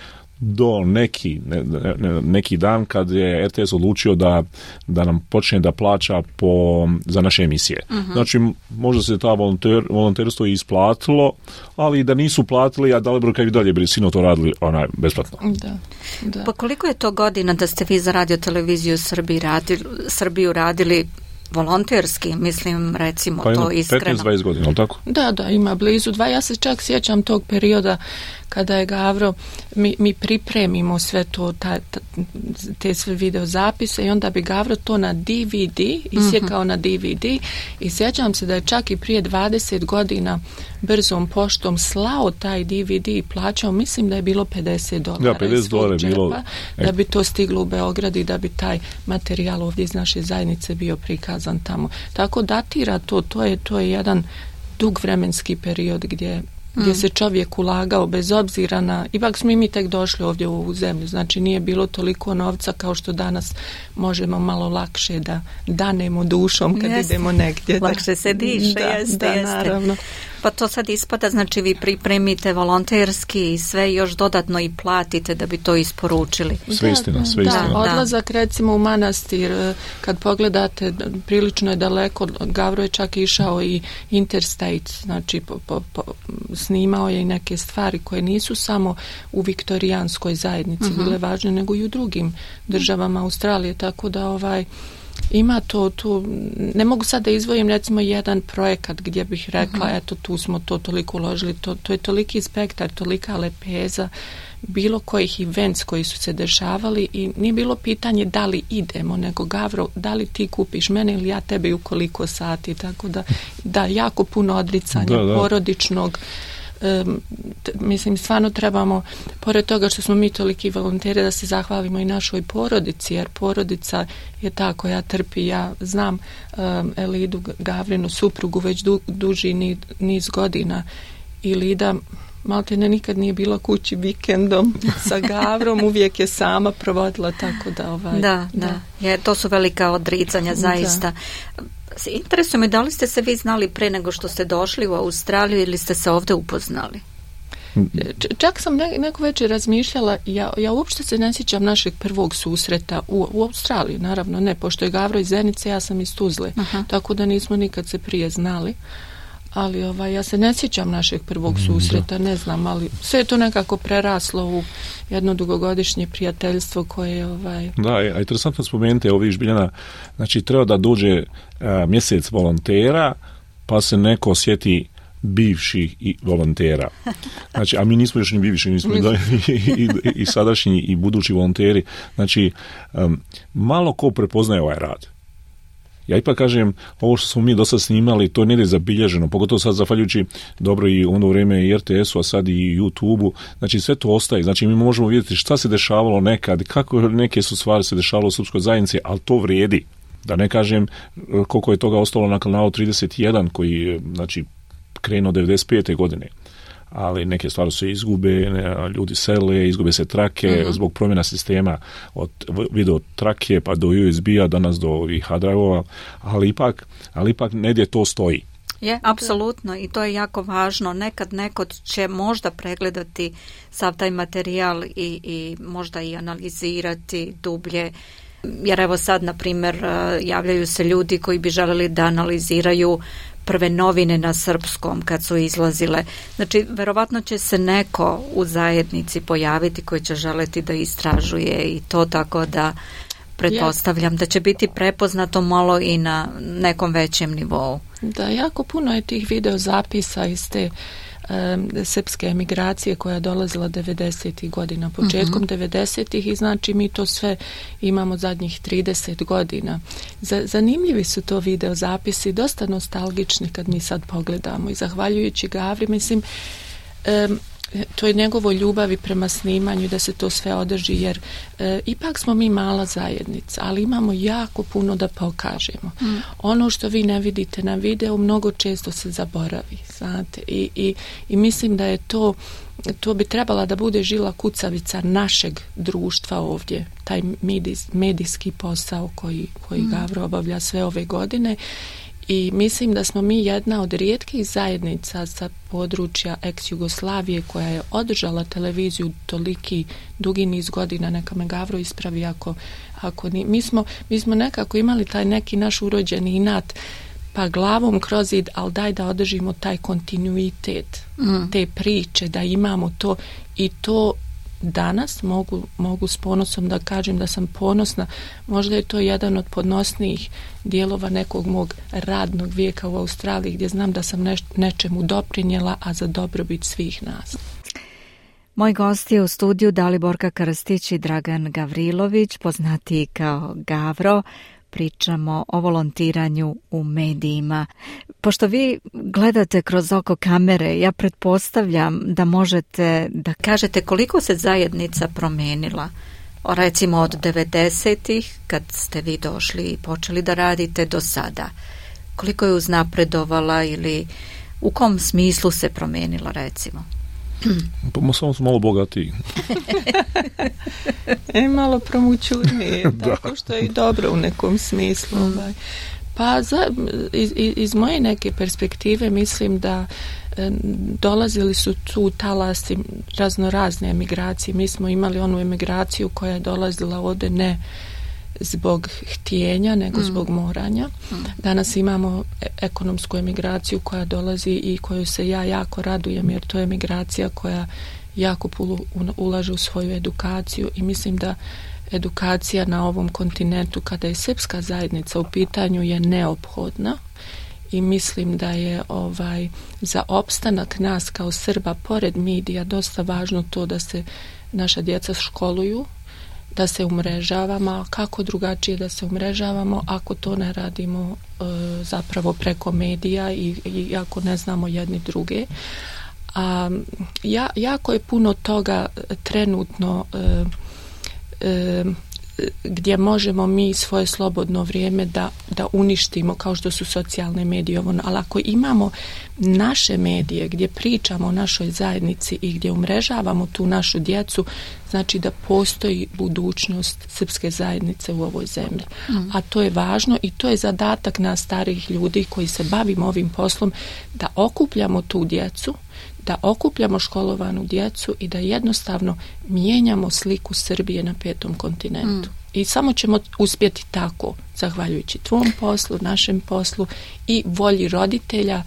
do neki, ne, ne, neki dan kad je R T S odlučio da, da nam počne da plaća po, za naše emisije. Uh-huh. Znači, možda se ta volonter, volonterstvo isplatilo, ali da nisu platili, a Daliborka i dalje bi sino to radili onaj, besplatno. Da, da. Pa koliko je to godina da ste vi za Radio Televiziju Srbiji radili, Srbiju radili volonterski, mislim, recimo pa to iskreno. petnaest dvadeset godina, ali tako? Da, da, ima blizu dva. Ja se čak sjećam tog perioda kada je Gavro, mi, mi pripremimo sve to, ta, ta, te sve video zapise i onda bi Gavro to na D V D, isjekao mm-hmm. na D V D i sjećam se da je čak i prije dvadeset godina brzom poštom slao taj D V D i plaćao, mislim da je bilo pedeset dolara. Da, pedeset dolara je bilo. Da bi to stiglo u Beograd i da bi taj materijal ovdje iz naše zajednice bio prikazan tamo. Tako datira to, to je, to je jedan dug vremenski period gdje gdje se čovjek ulagao bez obzira na, ipak smo i mi tek došli ovdje u ovu zemlju, znači nije bilo toliko novca kao što danas možemo malo lakše da danemo dušom kad jeste. Idemo negdje. Lakše se diše, da, jeste, da, jeste. Naravno. Pa to sad ispada, znači vi pripremite volonterski i sve još dodatno i platite da bi to isporučili. Sve istina, sve da, istina. Da, odlazak recimo u manastir, kad pogledate, prilično je daleko, Gavro je čak išao i interstate, znači po, po, po, snimao je i neke stvari koje nisu samo u viktorijanskoj zajednici uh-huh. bile važne, nego i u drugim državama Australije, tako da ovaj ima to, tu, ne mogu sad da izvojim recimo jedan projekat gdje bih rekla, uh-huh. eto tu smo to toliko uložili, to, to je toliki spektar, tolika lepeza, bilo kojih events koji su se dešavali i nije bilo pitanje da li idemo, nego Gavro, da li ti kupiš mene ili ja tebe u koliko sati, tako da, da jako puno odricanja da, da. porodičnog. Um, t- mislim, stvarno trebamo, pored toga što smo mi toliki volonteri, da se zahvalimo i našoj porodici, jer porodica je ta koja trpi. Ja znam um, Elidu Gavrinu, suprugu, već du- duži niz, niz godina i Lida malte ne nikad nije bila kući vikendom sa Gavrom, uvijek je sama provodila, tako da ovaj... Da, da, da. Je, to su velika odricanja, zaista. Da. Interesuje me, da li ste se vi znali pre nego što ste došli u Australiju ili ste se ovdje upoznali? Č- čak sam ne, neko večer razmišljala, ja, ja uopšte se ne sjećam našeg prvog susreta u, u Australiji, naravno ne, pošto je Gavro iz Zenice, ja sam iz Tuzle, aha. tako da nismo nikad se prije znali. Ali ovaj, ja se ne sjećam našeg prvog susreta, ne znam, ali sve je to nekako preraslo u jedno dugogodišnje prijateljstvo koje ovaj... Da, a interesantno spomenuti ovih Žbiljana, znači treba da dođe a, mjesec volontera, pa se neko sjeti bivših i volontera. Znači, a mi nismo još ni bivši, nismo da, i, i, i sadašnji i budući volonteri. Znači, um, malo ko prepoznaje ovaj rad. Ja ipak kažem, ovo što smo mi do sad snimali, to nije zabilježeno, pogotovo sad zahvaljujući dobro i ono vrijeme i R T S-u, a sad i YouTube-u, znači sve to ostaje, znači mi možemo vidjeti šta se dešavalo nekad, kako neke su stvari se dešavalo u srpskoj zajednici, ali to vrijedi. Da ne kažem koliko je toga ostalo na kanalu trideset jedan koji je, znači, krenuo devedeset pete godine. Ali neke stvari se izgube, ljudi sele, izgube se trake uh-huh. zbog promjena sistema od video trake pa do U S B-a, danas do ovih hard drive-ova, ali ipak, ali ipak negdje to stoji. Je, apsolutno, i to je jako važno. Nekad neko će možda pregledati sav taj materijal i, i možda i analizirati dublje. Jer evo sad, na primjer, javljaju se ljudi koji bi želeli da analiziraju prve novine na srpskom kad su izlazile. Znači, verovatno će se neko u zajednici pojaviti koji će želeti da istražuje i to, tako da pretpostavljam da će biti prepoznato malo i na nekom većem nivou. Da, jako puno je tih video zapisa iz te um, srpske emigracije koja je dolazila devedesetih godina, početkom uh-huh. devedesetih i znači mi to sve imamo zadnjih trideset godina. Z- zanimljivi su to video zapisi, dosta nostalgični kad mi sad pogledamo i zahvaljujući Gavri, mislim, um, to je njegovo ljubavi prema snimanju da se to sve održi, jer e, ipak smo mi mala zajednica, ali imamo jako puno da pokažemo. Mm. Ono što vi ne vidite na videu mnogo često se zaboravi, znate, i, i, i mislim da je to to bi trebala da bude žila kucavica našeg društva ovdje, taj medijs, medijski posao koji, koji mm. Gavro obavlja sve ove godine. I mislim da smo mi jedna od rijetkih zajednica sa područja ex-Jugoslavije koja je održala televiziju toliki dugi niz godina, neka me Gavro ispravi ako, ako ni, mi, smo, mi smo nekako imali taj neki naš urođeni inat, pa glavom kroz zid, ali daj da održimo taj kontinuitet mm. te priče, da imamo to i to danas mogu, mogu s ponosom da kažem da sam ponosna. Možda je to jedan od podnosnijih dijelova nekog mog radnog vijeka u Australiji gdje znam da sam neš, nečemu doprinjela, a za dobrobit svih nas. Moj gost je u studiju Daliborka Krstić i Dragan Gavrilović, poznatiji kao Gavro. Pričamo o volontiranju u medijima. Pošto vi gledate kroz oko kamere, ja pretpostavljam da možete da kažete koliko se zajednica promenila. Recimo od devedesetih, kad ste vi došli i počeli da radite, do sada. Koliko je uznapredovala ili u kom smislu se promenila, recimo? Pa samo su malo bogatiji. E, malo promućurnije, tako što je i dobro u nekom smislu. Mm. Ovaj. Pa za, iz, iz moje neke perspektive mislim da e, dolazili su tu talasi razno razne emigracije. Mi smo imali onu emigraciju koja je dolazila ovdje ne zbog htjenja, nego mm. zbog moranja. Mm. Danas imamo ekonomsku emigraciju koja dolazi i koju se ja jako radujem, jer to je emigracija koja jako puno ulaže u svoju edukaciju i mislim da edukacija na ovom kontinentu, kada je srpska zajednica u pitanju, je neophodna i mislim da je ovaj za opstanak nas kao Srba pored medija dosta važno to da se naša djeca školuju, da se umrežavamo, a kako drugačije da se umrežavamo ako to ne radimo e, zapravo preko medija i, i ako ne znamo jedni druge. A, ja, jako je puno toga trenutno e, e, gdje možemo mi svoje slobodno vrijeme da, da uništimo, kao što su socijalne medije, ali ako imamo naše medije gdje pričamo o našoj zajednici i gdje umrežavamo tu našu djecu, znači da postoji budućnost srpske zajednice u ovoj zemlji. Mm. A to je važno i to je zadatak nas starih ljudi koji se bavimo ovim poslom, da okupljamo tu djecu, da okupljamo školovanu djecu i da jednostavno mijenjamo sliku Srbije na petom kontinentu. Mm. I samo ćemo uspjeti tako, zahvaljujući tvom poslu, našem poslu i volji roditelja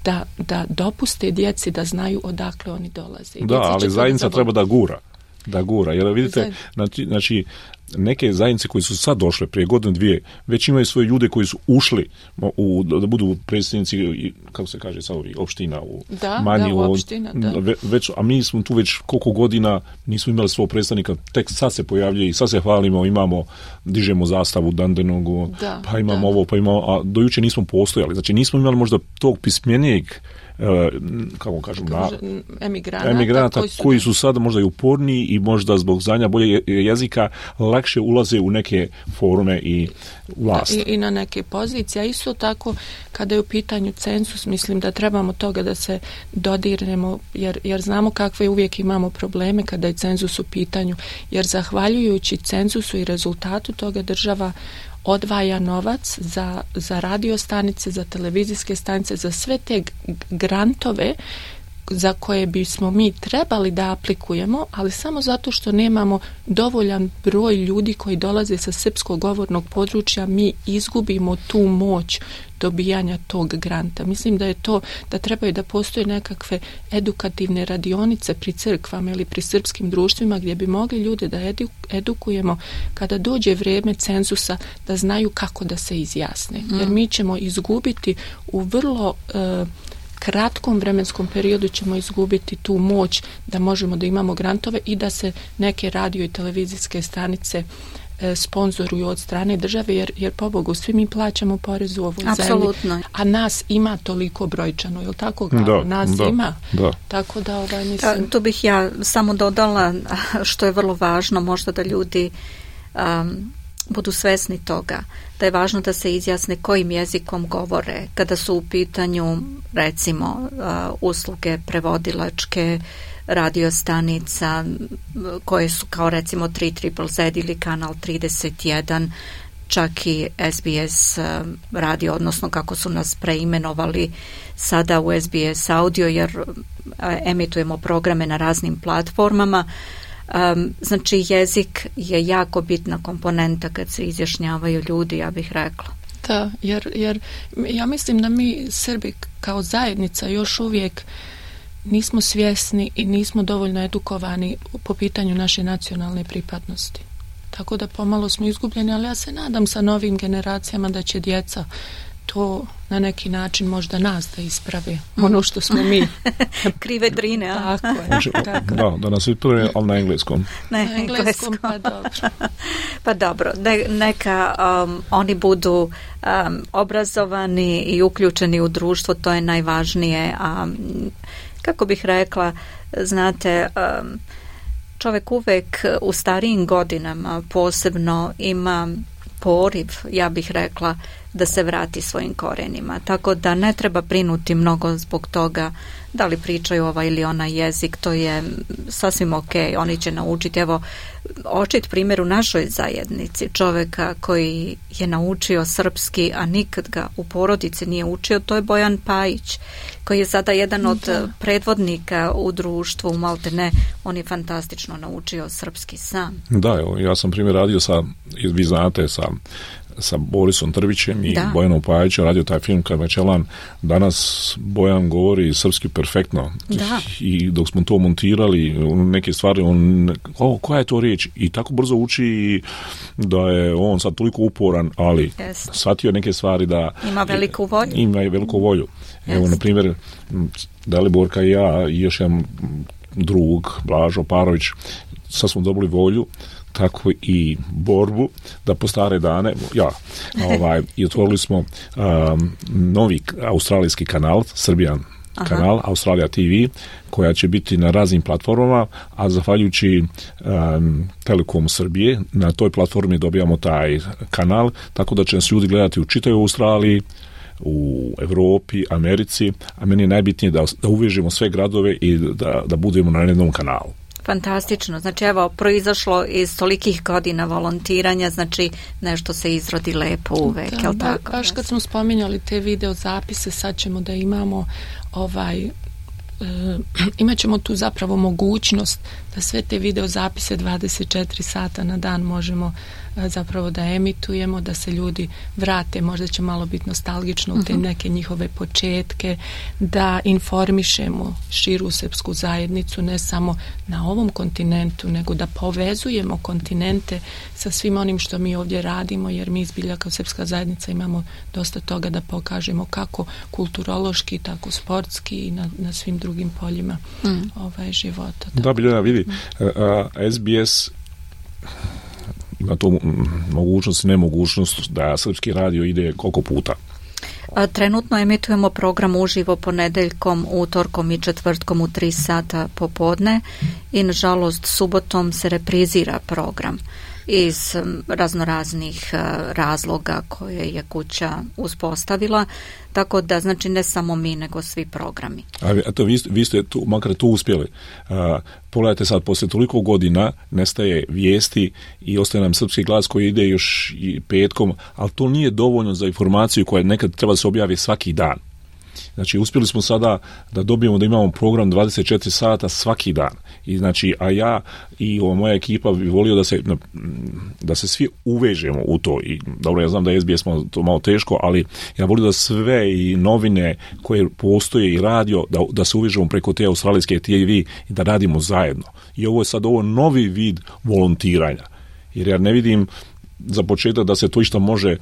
da, da dopuste djeci da znaju odakle oni dolaze. Da, ali zajednica treba da gura. Da gura, jer vidite, znači, znači neke zajednice koji su sad došle prije godine dvije, već imaju svoje ljude koji su ušli u, da budu predsjednici, kako se kaže sad, opština u da, manji, da, u opština, da. Već, a mi smo tu već koliko godina nismo imali svog predstavnika, tek sad se pojavljuje i sad se hvalimo, imamo, dižemo zastavu Dandenogu, da, pa imamo da. ovo, pa imamo, a do juče nismo postojali, znači nismo imali možda tog pismenijeg, kako kažem, na, emigranata, emigranata koji su, koji su sada možda i uporniji i možda zbog znanja bolje jezika lakše ulaze u neke forume i vlast. I, i na neke pozicije. A isto tako, kada je u pitanju cenzus, mislim da trebamo toga da se dodirnemo, jer, jer znamo kakve uvijek imamo probleme kada je cenzus u pitanju, jer zahvaljujući cenzusu i rezultatu toga država odvaja novac za, za radio stanice, za televizijske stanice, za sve te grantove za koje bismo mi trebali da aplikujemo, ali samo zato što nemamo dovoljan broj ljudi koji dolaze sa srpskog govornog područja, mi izgubimo tu moć dobijanja tog granta. Mislim da je to, da trebaju da postoje nekakve edukativne radionice pri crkvama ili pri srpskim društvima gdje bi mogli ljude da edu, edukujemo kada dođe vrijeme cenzusa da znaju kako da se izjasne. Mm. Jer mi ćemo izgubiti u vrlo uh, kratkom vremenskom periodu ćemo izgubiti tu moć da možemo da imamo grantove i da se neke radio i televizijske stanice e, sponzoruju od strane države, jer, jer pobogu svi mi plaćamo porez u ovoj Apsolutno. zemlji, a nas ima toliko brojčano, je li tako? Da, nas da, ima. Da. Tako da ovaj, mislim... Tu bih ja samo dodala što je vrlo važno, možda da ljudi um, budu svesni toga, da je važno da se izjasne kojim jezikom govore kada su u pitanju recimo uh, usluge prevodilačke radiostanica koje su kao recimo tri Z ili kanal trideset jedan, čak i S B S uh, radio, odnosno kako su nas preimenovali sada u S B S audio, jer uh, emitujemo programe na raznim platformama. Um, znači jezik je jako bitna komponenta kad se izjašnjavaju ljudi, ja bih rekla. Da, jer, jer ja mislim da mi Srbi kao zajednica još uvijek nismo svjesni i nismo dovoljno edukovani po pitanju naše nacionalne pripadnosti. Tako da pomalo smo izgubljeni, ali ja se nadam sa novim generacijama da će djeca to na neki način možda nas da ispravi ono što smo mi. Krive drine, a? Tako je. Znači, tako. Da, da nas ispravi, ali na engleskom. Na Na engleskom, pa dobro. Pa dobro, ne, neka um, oni budu um, obrazovani i uključeni u društvo, to je najvažnije. A kako bih rekla, znate, um, čovjek uvek u starijim godinama posebno ima poriv, ja bih rekla, da se vrati svojim korenima. Tako da ne treba brinuti mnogo zbog toga da li pričaju ovaj ili onaj jezik, to je sasvim ok, oni će naučiti. Evo, očit primjer u našoj zajednici čovjeka koji je naučio srpski, a nikad ga u porodici nije učio, to je Bojan Pajić, koji je sada jedan od da. predvodnika u društvu u Maltene. On je fantastično naučio srpski sam. Da, evo, ja sam primjer radio sa, vi znate, sa sa Borisom Trbićem i da. Bojanom Pajićem, radio taj film Karvečelan. Danas Bojan govori srpski perfektno. Da. I dok smo to montirali, neke stvari, on, o, koja je to riječ? I tako brzo uči da je on sad toliko uporan, ali yes. shvatio neke stvari da... Ima veliku volju. Ima i veliku volju. Yes. Evo, na primjer, Daliborka i ja i još jedan drug, Blažo Parović, sad smo dobili volju, tako i borbu da po stare dane ja, ovaj, i otvorili smo um, novi australijski kanal, Srbijan Aha. kanal, Australija T V, koja će biti na raznim platformama, a zahvaljujući um, Telekomu Srbije, na toj platformi dobijamo taj kanal, tako da će nas ljudi gledati u čitavoj Australiji, u Evropi, Americi, a meni je najbitnije da, da uvežemo sve gradove i da, da budemo na jednom kanalu. Fantastično. Znači, evo, proizašlo iz tolikih godina volontiranja, znači nešto se izrodi lepo uvek, da, jel ba, tako? Baš kad smo spominjali te video zapise, sad ćemo da imamo ovaj... E, imat ćemo tu zapravo mogućnost da sve te video zapise dvadeset četiri sata na dan možemo e, zapravo da emitujemo, da se ljudi vrate, možda će malo biti nostalgično u te neke njihove početke, da informišemo širu srpsku zajednicu, ne samo na ovom kontinentu, nego da povezujemo kontinente sa svim onim što mi ovdje radimo, jer mi zbilja kao srpska zajednica imamo dosta toga da pokažemo kako kulturološki, tako sportski i na, na svim drugim poljima mm. ovaj, života. Da, da Biljana, vidi, mm. S B S ima to mogućnost i nemogućnost da srpski radio ide koliko puta? Trenutno emitujemo program uživo ponedeljkom, utorkom i četvrtkom u tri sata popodne i nažalost subotom se reprizira program iz raznoraznih razloga koje je kuća uspostavila, tako da znači ne samo mi nego svi programi. A, a to vi, vi ste tu, makar tu uspjeli. A, pogledajte sad, poslije toliko godina nestaje vijesti i ostaje nam srpski glas koji ide još i petkom, ali to nije dovoljno za informaciju koja nekad treba da se objavi svaki dan. Znači, uspjeli smo sada da dobijemo da imamo program dvadeset četiri sata svaki dan. I znači, a ja i ova moja ekipa bi volio da se, da se svi uvežemo u to. I dobro, ja znam da je S B S to malo teško, ali ja volim da sve i novine koje postoje i radio, da, da se uvežemo preko te australijske T V i da radimo zajedno. I ovo je sad ovo novi vid volontiranja. Jer ja ne vidim za početak da se to išta može,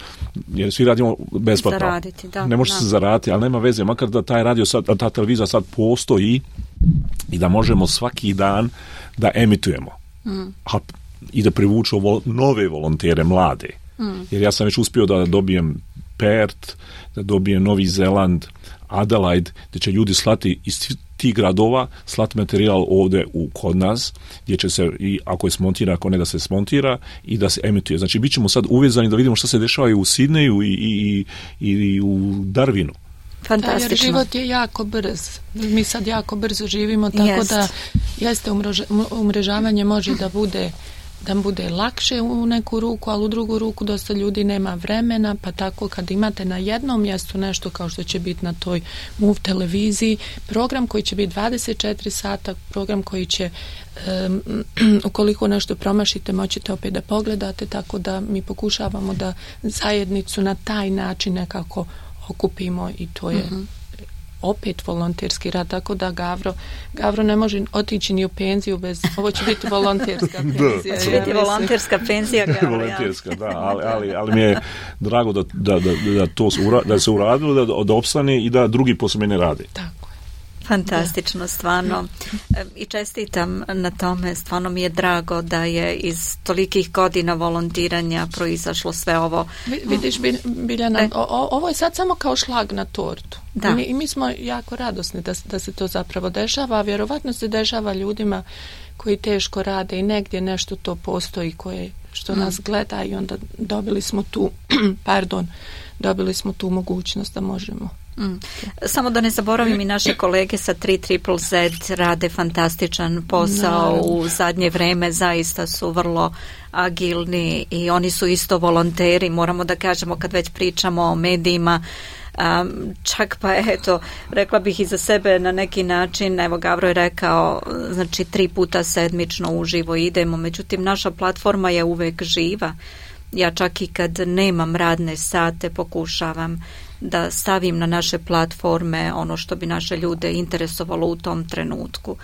jer svi radimo besplatno. Zaraditi, da. Ne može da. se zaraditi, ali nema veze, makar da taj radio sad, ta televizija sad postoji i da možemo svaki dan da emitujemo. Mm. A, i da privučemo nove volontere, mlade. Mm. Jer ja sam već uspio da dobijem Perth, da dobijem Novi Zeland, Adelaide, gdje će ljudi slati iz tih gradova, slati materijal ovdje u, kod nas, gdje će se, i ako je smontira, ako ne da se smontira i da se emituje. Znači, bit ćemo sad uvezani da vidimo što se dešava i u Sidneju i, i, i, i u Darwinu. Fantastično. Da, jer život je jako brz. Mi sad jako brzo živimo, tako Jest. da jeste umreža, umrežavanje može da bude da bude lakše u neku ruku, ali u drugu ruku dosta ljudi nema vremena, pa tako kad imate na jednom mjestu nešto kao što će biti na toj Move televiziji, program koji će biti dvadeset četiri sata, program koji će um, ukoliko nešto promašite moćete opet da pogledate, tako da mi pokušavamo da zajednicu na taj način nekako okupimo i to je mm-hmm. opet volonterski rad, tako da Gavro, Gavro ne može otići ni u penziju bez, ovo će biti volonterska penzija. Da, će biti volonterska penzija, Gavro. Volonterska, da, ali, ali, ali mi je drago da, da, da, da, to se ura, da se uradilo, da, da opstane i da drugi posle mene rade. Tako. Fantastično, stvarno. I čestitam na tome, stvarno mi je drago da je iz tolikih godina volontiranja proizašlo sve ovo. Vidiš, Biljana, e. o, ovo je sad samo kao šlag na tortu. Da. I mi, i mi smo jako radosni da, da se to zapravo dešava, a vjerovatno se dešava ljudima koji teško rade i negdje nešto to postoji koje što mm. nas gleda i onda dobili smo tu, pardon, dobili smo tu mogućnost da možemo. Mm. Samo da ne zaboravim i naše kolege sa tri triple Z rade fantastičan posao. Naravno. U zadnje vreme zaista su vrlo agilni i oni su isto volonteri, moramo da kažemo kad već pričamo o medijima. Um, čak pa eto, rekla bih i za sebe na neki način, evo Gavro je rekao, znači tri puta sedmično uživo idemo, međutim naša platforma je uvek živa. Ja čak i kad nemam radne sate pokušavam da stavim na naše platforme ono što bi naše ljude interesovalo u tom trenutku.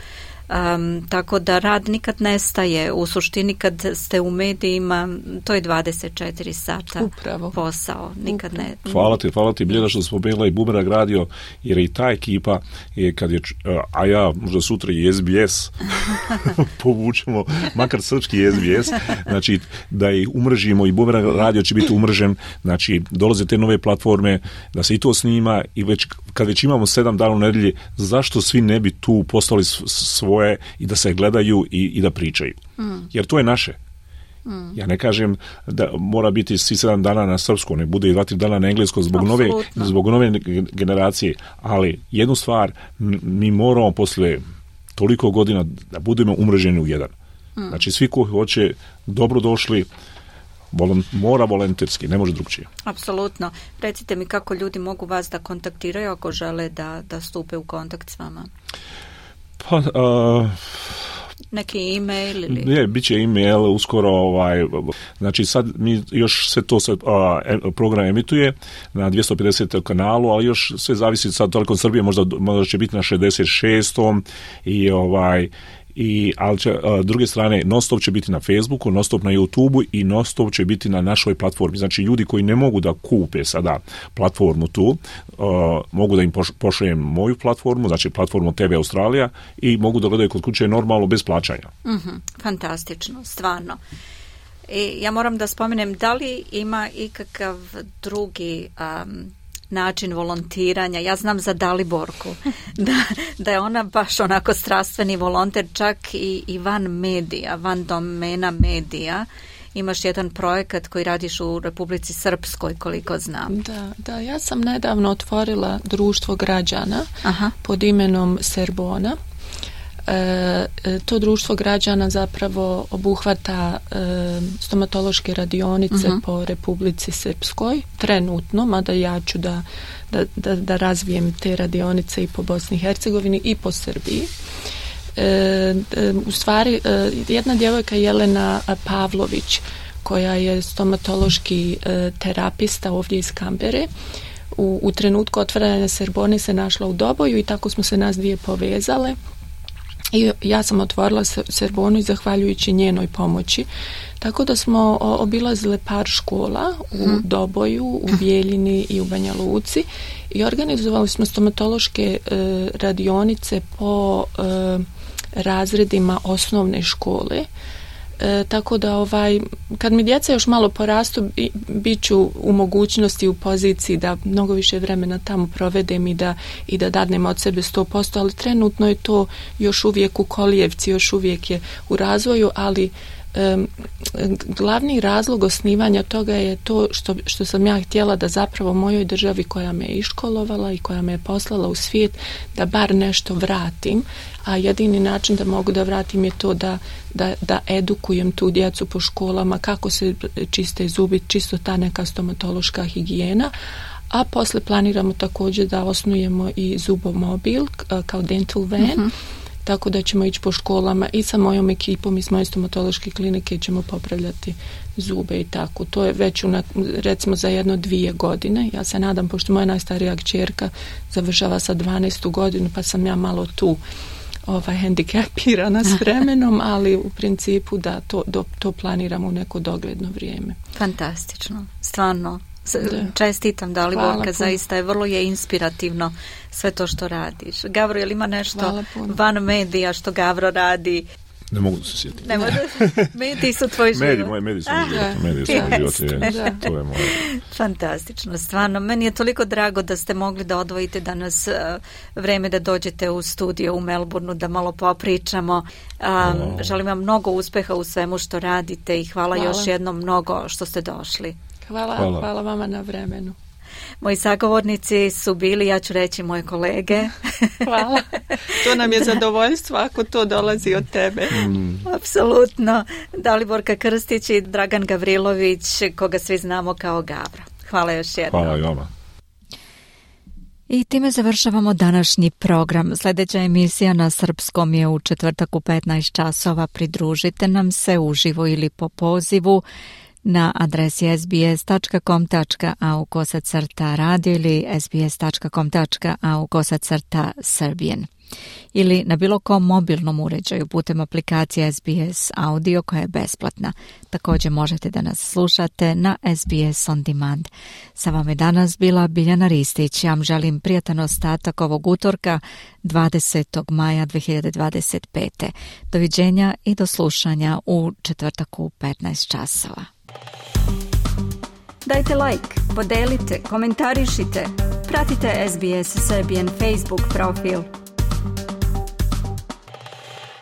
Um, tako da rad nikad nestaje. U suštini kad ste u medijima, to je dvadeset četiri sata Upravo. posao. Nikad ne... Hvala ti, hvala ti Biljana što smo bila i Bumerang radio, jer i ta ekipa je kad je, a ja možda sutra i S B S povučemo, makar srpski S B S, znači da ih umržimo i Bumerang radio će biti umržen, znači dolaze te nove platforme, da se i to snima i već, kad već imamo sedam dana u nedelji, zašto svi ne bi tu postali svoj i da se gledaju i, i da pričaju. Mm. Jer to je naše. Mm. Ja ne kažem da mora biti svi sedam dana na srpskom, ne bude i dva, tri dana na engleskom zbog nove, zbog nove generacije, ali jednu stvar, mi moramo posle toliko godina da budemo umreženi u jedan. Mm. Znači svi koji hoće, dobrodošli, Volon, mora volonterski, ne može drugčije. Apsolutno. Recite mi kako ljudi mogu vas da kontaktiraju ako žele da, da stupe u kontakt s vama. Pa, uh, neki e-mail ili... Ne, bit će e-mail uskoro, ovaj, znači sad mi još sve to sad, uh, program emituje na dvjesto pedeset kanalu, ali još sve zavisi sad Telekom Srbije, možda, možda će biti na šezdeset šestom i ovaj i ali će, a, druge strane non-stop će biti na Facebooku, non-stop na YouTubeu i non-stop će biti na našoj platformi. Znači ljudi koji ne mogu da kupe sada platformu tu, a, mogu da im pošaljem moju platformu, znači platformu T V Australija i mogu da gledaju kod kuće normalno bez plaćanja. Mm-hmm. Fantastično, stvarno. I ja moram da spomenem, da li ima ikakav drugi um, način volontiranja? Ja znam za Daliborku da, da je ona baš onako strastveni volonter, čak i, i van medija, van domena medija. Imaš jedan projekat koji radiš u Republici Srpskoj, koliko znam. Da, da, ja sam nedavno otvorila društvo građana. Aha. Pod imenom Serbona. E, to društvo građana zapravo obuhvata e, stomatološke radionice uh-huh. po Republici Srpskoj trenutno, mada ja ću da, da, da, da razvijem te radionice i po Bosni i Hercegovini i po Srbiji. E, e, u stvari e, jedna djevojka Jelena Pavlović koja je stomatološki e, terapista ovdje iz Kambere, u, u trenutku otvaranja Serbone se našla u Doboju i tako smo se nas dvije povezale. I ja sam otvorila Serbonu i zahvaljujući njenoj pomoći. Tako da smo obilazile par škola u hmm. Doboju, u Bijeljini i u Banja Luci i organizovali smo stomatološke e, radionice po e, razredima osnovne škole. E, tako da ovaj, kad mi djeca još malo porastu, bit ću u mogućnosti, u poziciji da mnogo više vremena tamo provedem i da, i da dadnem od sebe sto posto, ali trenutno je to još uvijek u kolijevci, još uvijek je u razvoju, ali um, glavni razlog osnivanja toga je to što, što sam ja htjela da zapravo mojoj državi koja me je iškolovala i koja me je poslala u svijet, da bar nešto vratim, a jedini način da mogu da vratim je to da, da, da edukujem tu djecu po školama kako se čiste zubi, čisto ta neka stomatološka higijena, a posle planiramo također da osnujemo i zubomobil kao dental van, uh-huh. tako da ćemo ići po školama i sa mojom ekipom i s moje stomatološke klinike ćemo popravljati zube i tako. To je već una, recimo za jedno dvije godine. Ja se nadam, pošto moja najstarija kćerka završava sa dvanaestu godinu, pa sam ja malo tu ovaj, hendikepirana s vremenom, ali u principu da to, do, to planiramo u neko dogledno vrijeme. Fantastično, stvarno. Čestitam Daliborka, zaista je vrlo je inspirativno sve to što radiš. Gavro, je li ima nešto van medija što Gavro radi? Ne mogu se sjetiti. Ne mogu, mediji su tvoj život. Mediji, moji mediji su moj život. Mediji su moj život. Je, to je moje. Fantastično, stvarno. Meni je toliko drago da ste mogli da odvojite danas uh, vreme da dođete u studio u Melbourneu, da malo popričamo. Um, oh. Želim vam mnogo uspeha u svemu što radite i hvala, hvala. još jednom mnogo što ste došli. Hvala, hvala. hvala vama na vremenu. Moji sagovornici su bili, ja ću reći, moje kolege. Hvala. To nam je zadovoljstvo ako to dolazi od tebe. Mm. Apsolutno. Daliborka Krstić i Dragan Gavrilović, koga svi znamo kao Gavro. Hvala još jednom. Hvala i vama. I time završavamo današnji program. Sljedeća emisija na srpskom je u četvrtak u petnaest časova. Pridružite nam se uživo ili po pozivu na adresi es be es tačka com tačka a u kosacrta radio ili es be es tačka com tačka a u kosacrta Serbian ili na bilo kom mobilnom uređaju putem aplikacije es be es Audio koja je besplatna. Također možete da nas slušate na es be es On Demand. Sa vama je danas bila Biljana Ristić. Ja vam želim prijatan ostatak ovog utorka dvadesetog maja dve hiljade dvadeset pete. Doviđenja i do slušanja u četvrtak u petnaest časova. Dajte like, podelite, komentarišite, pratite es be es Serbian Facebook profil.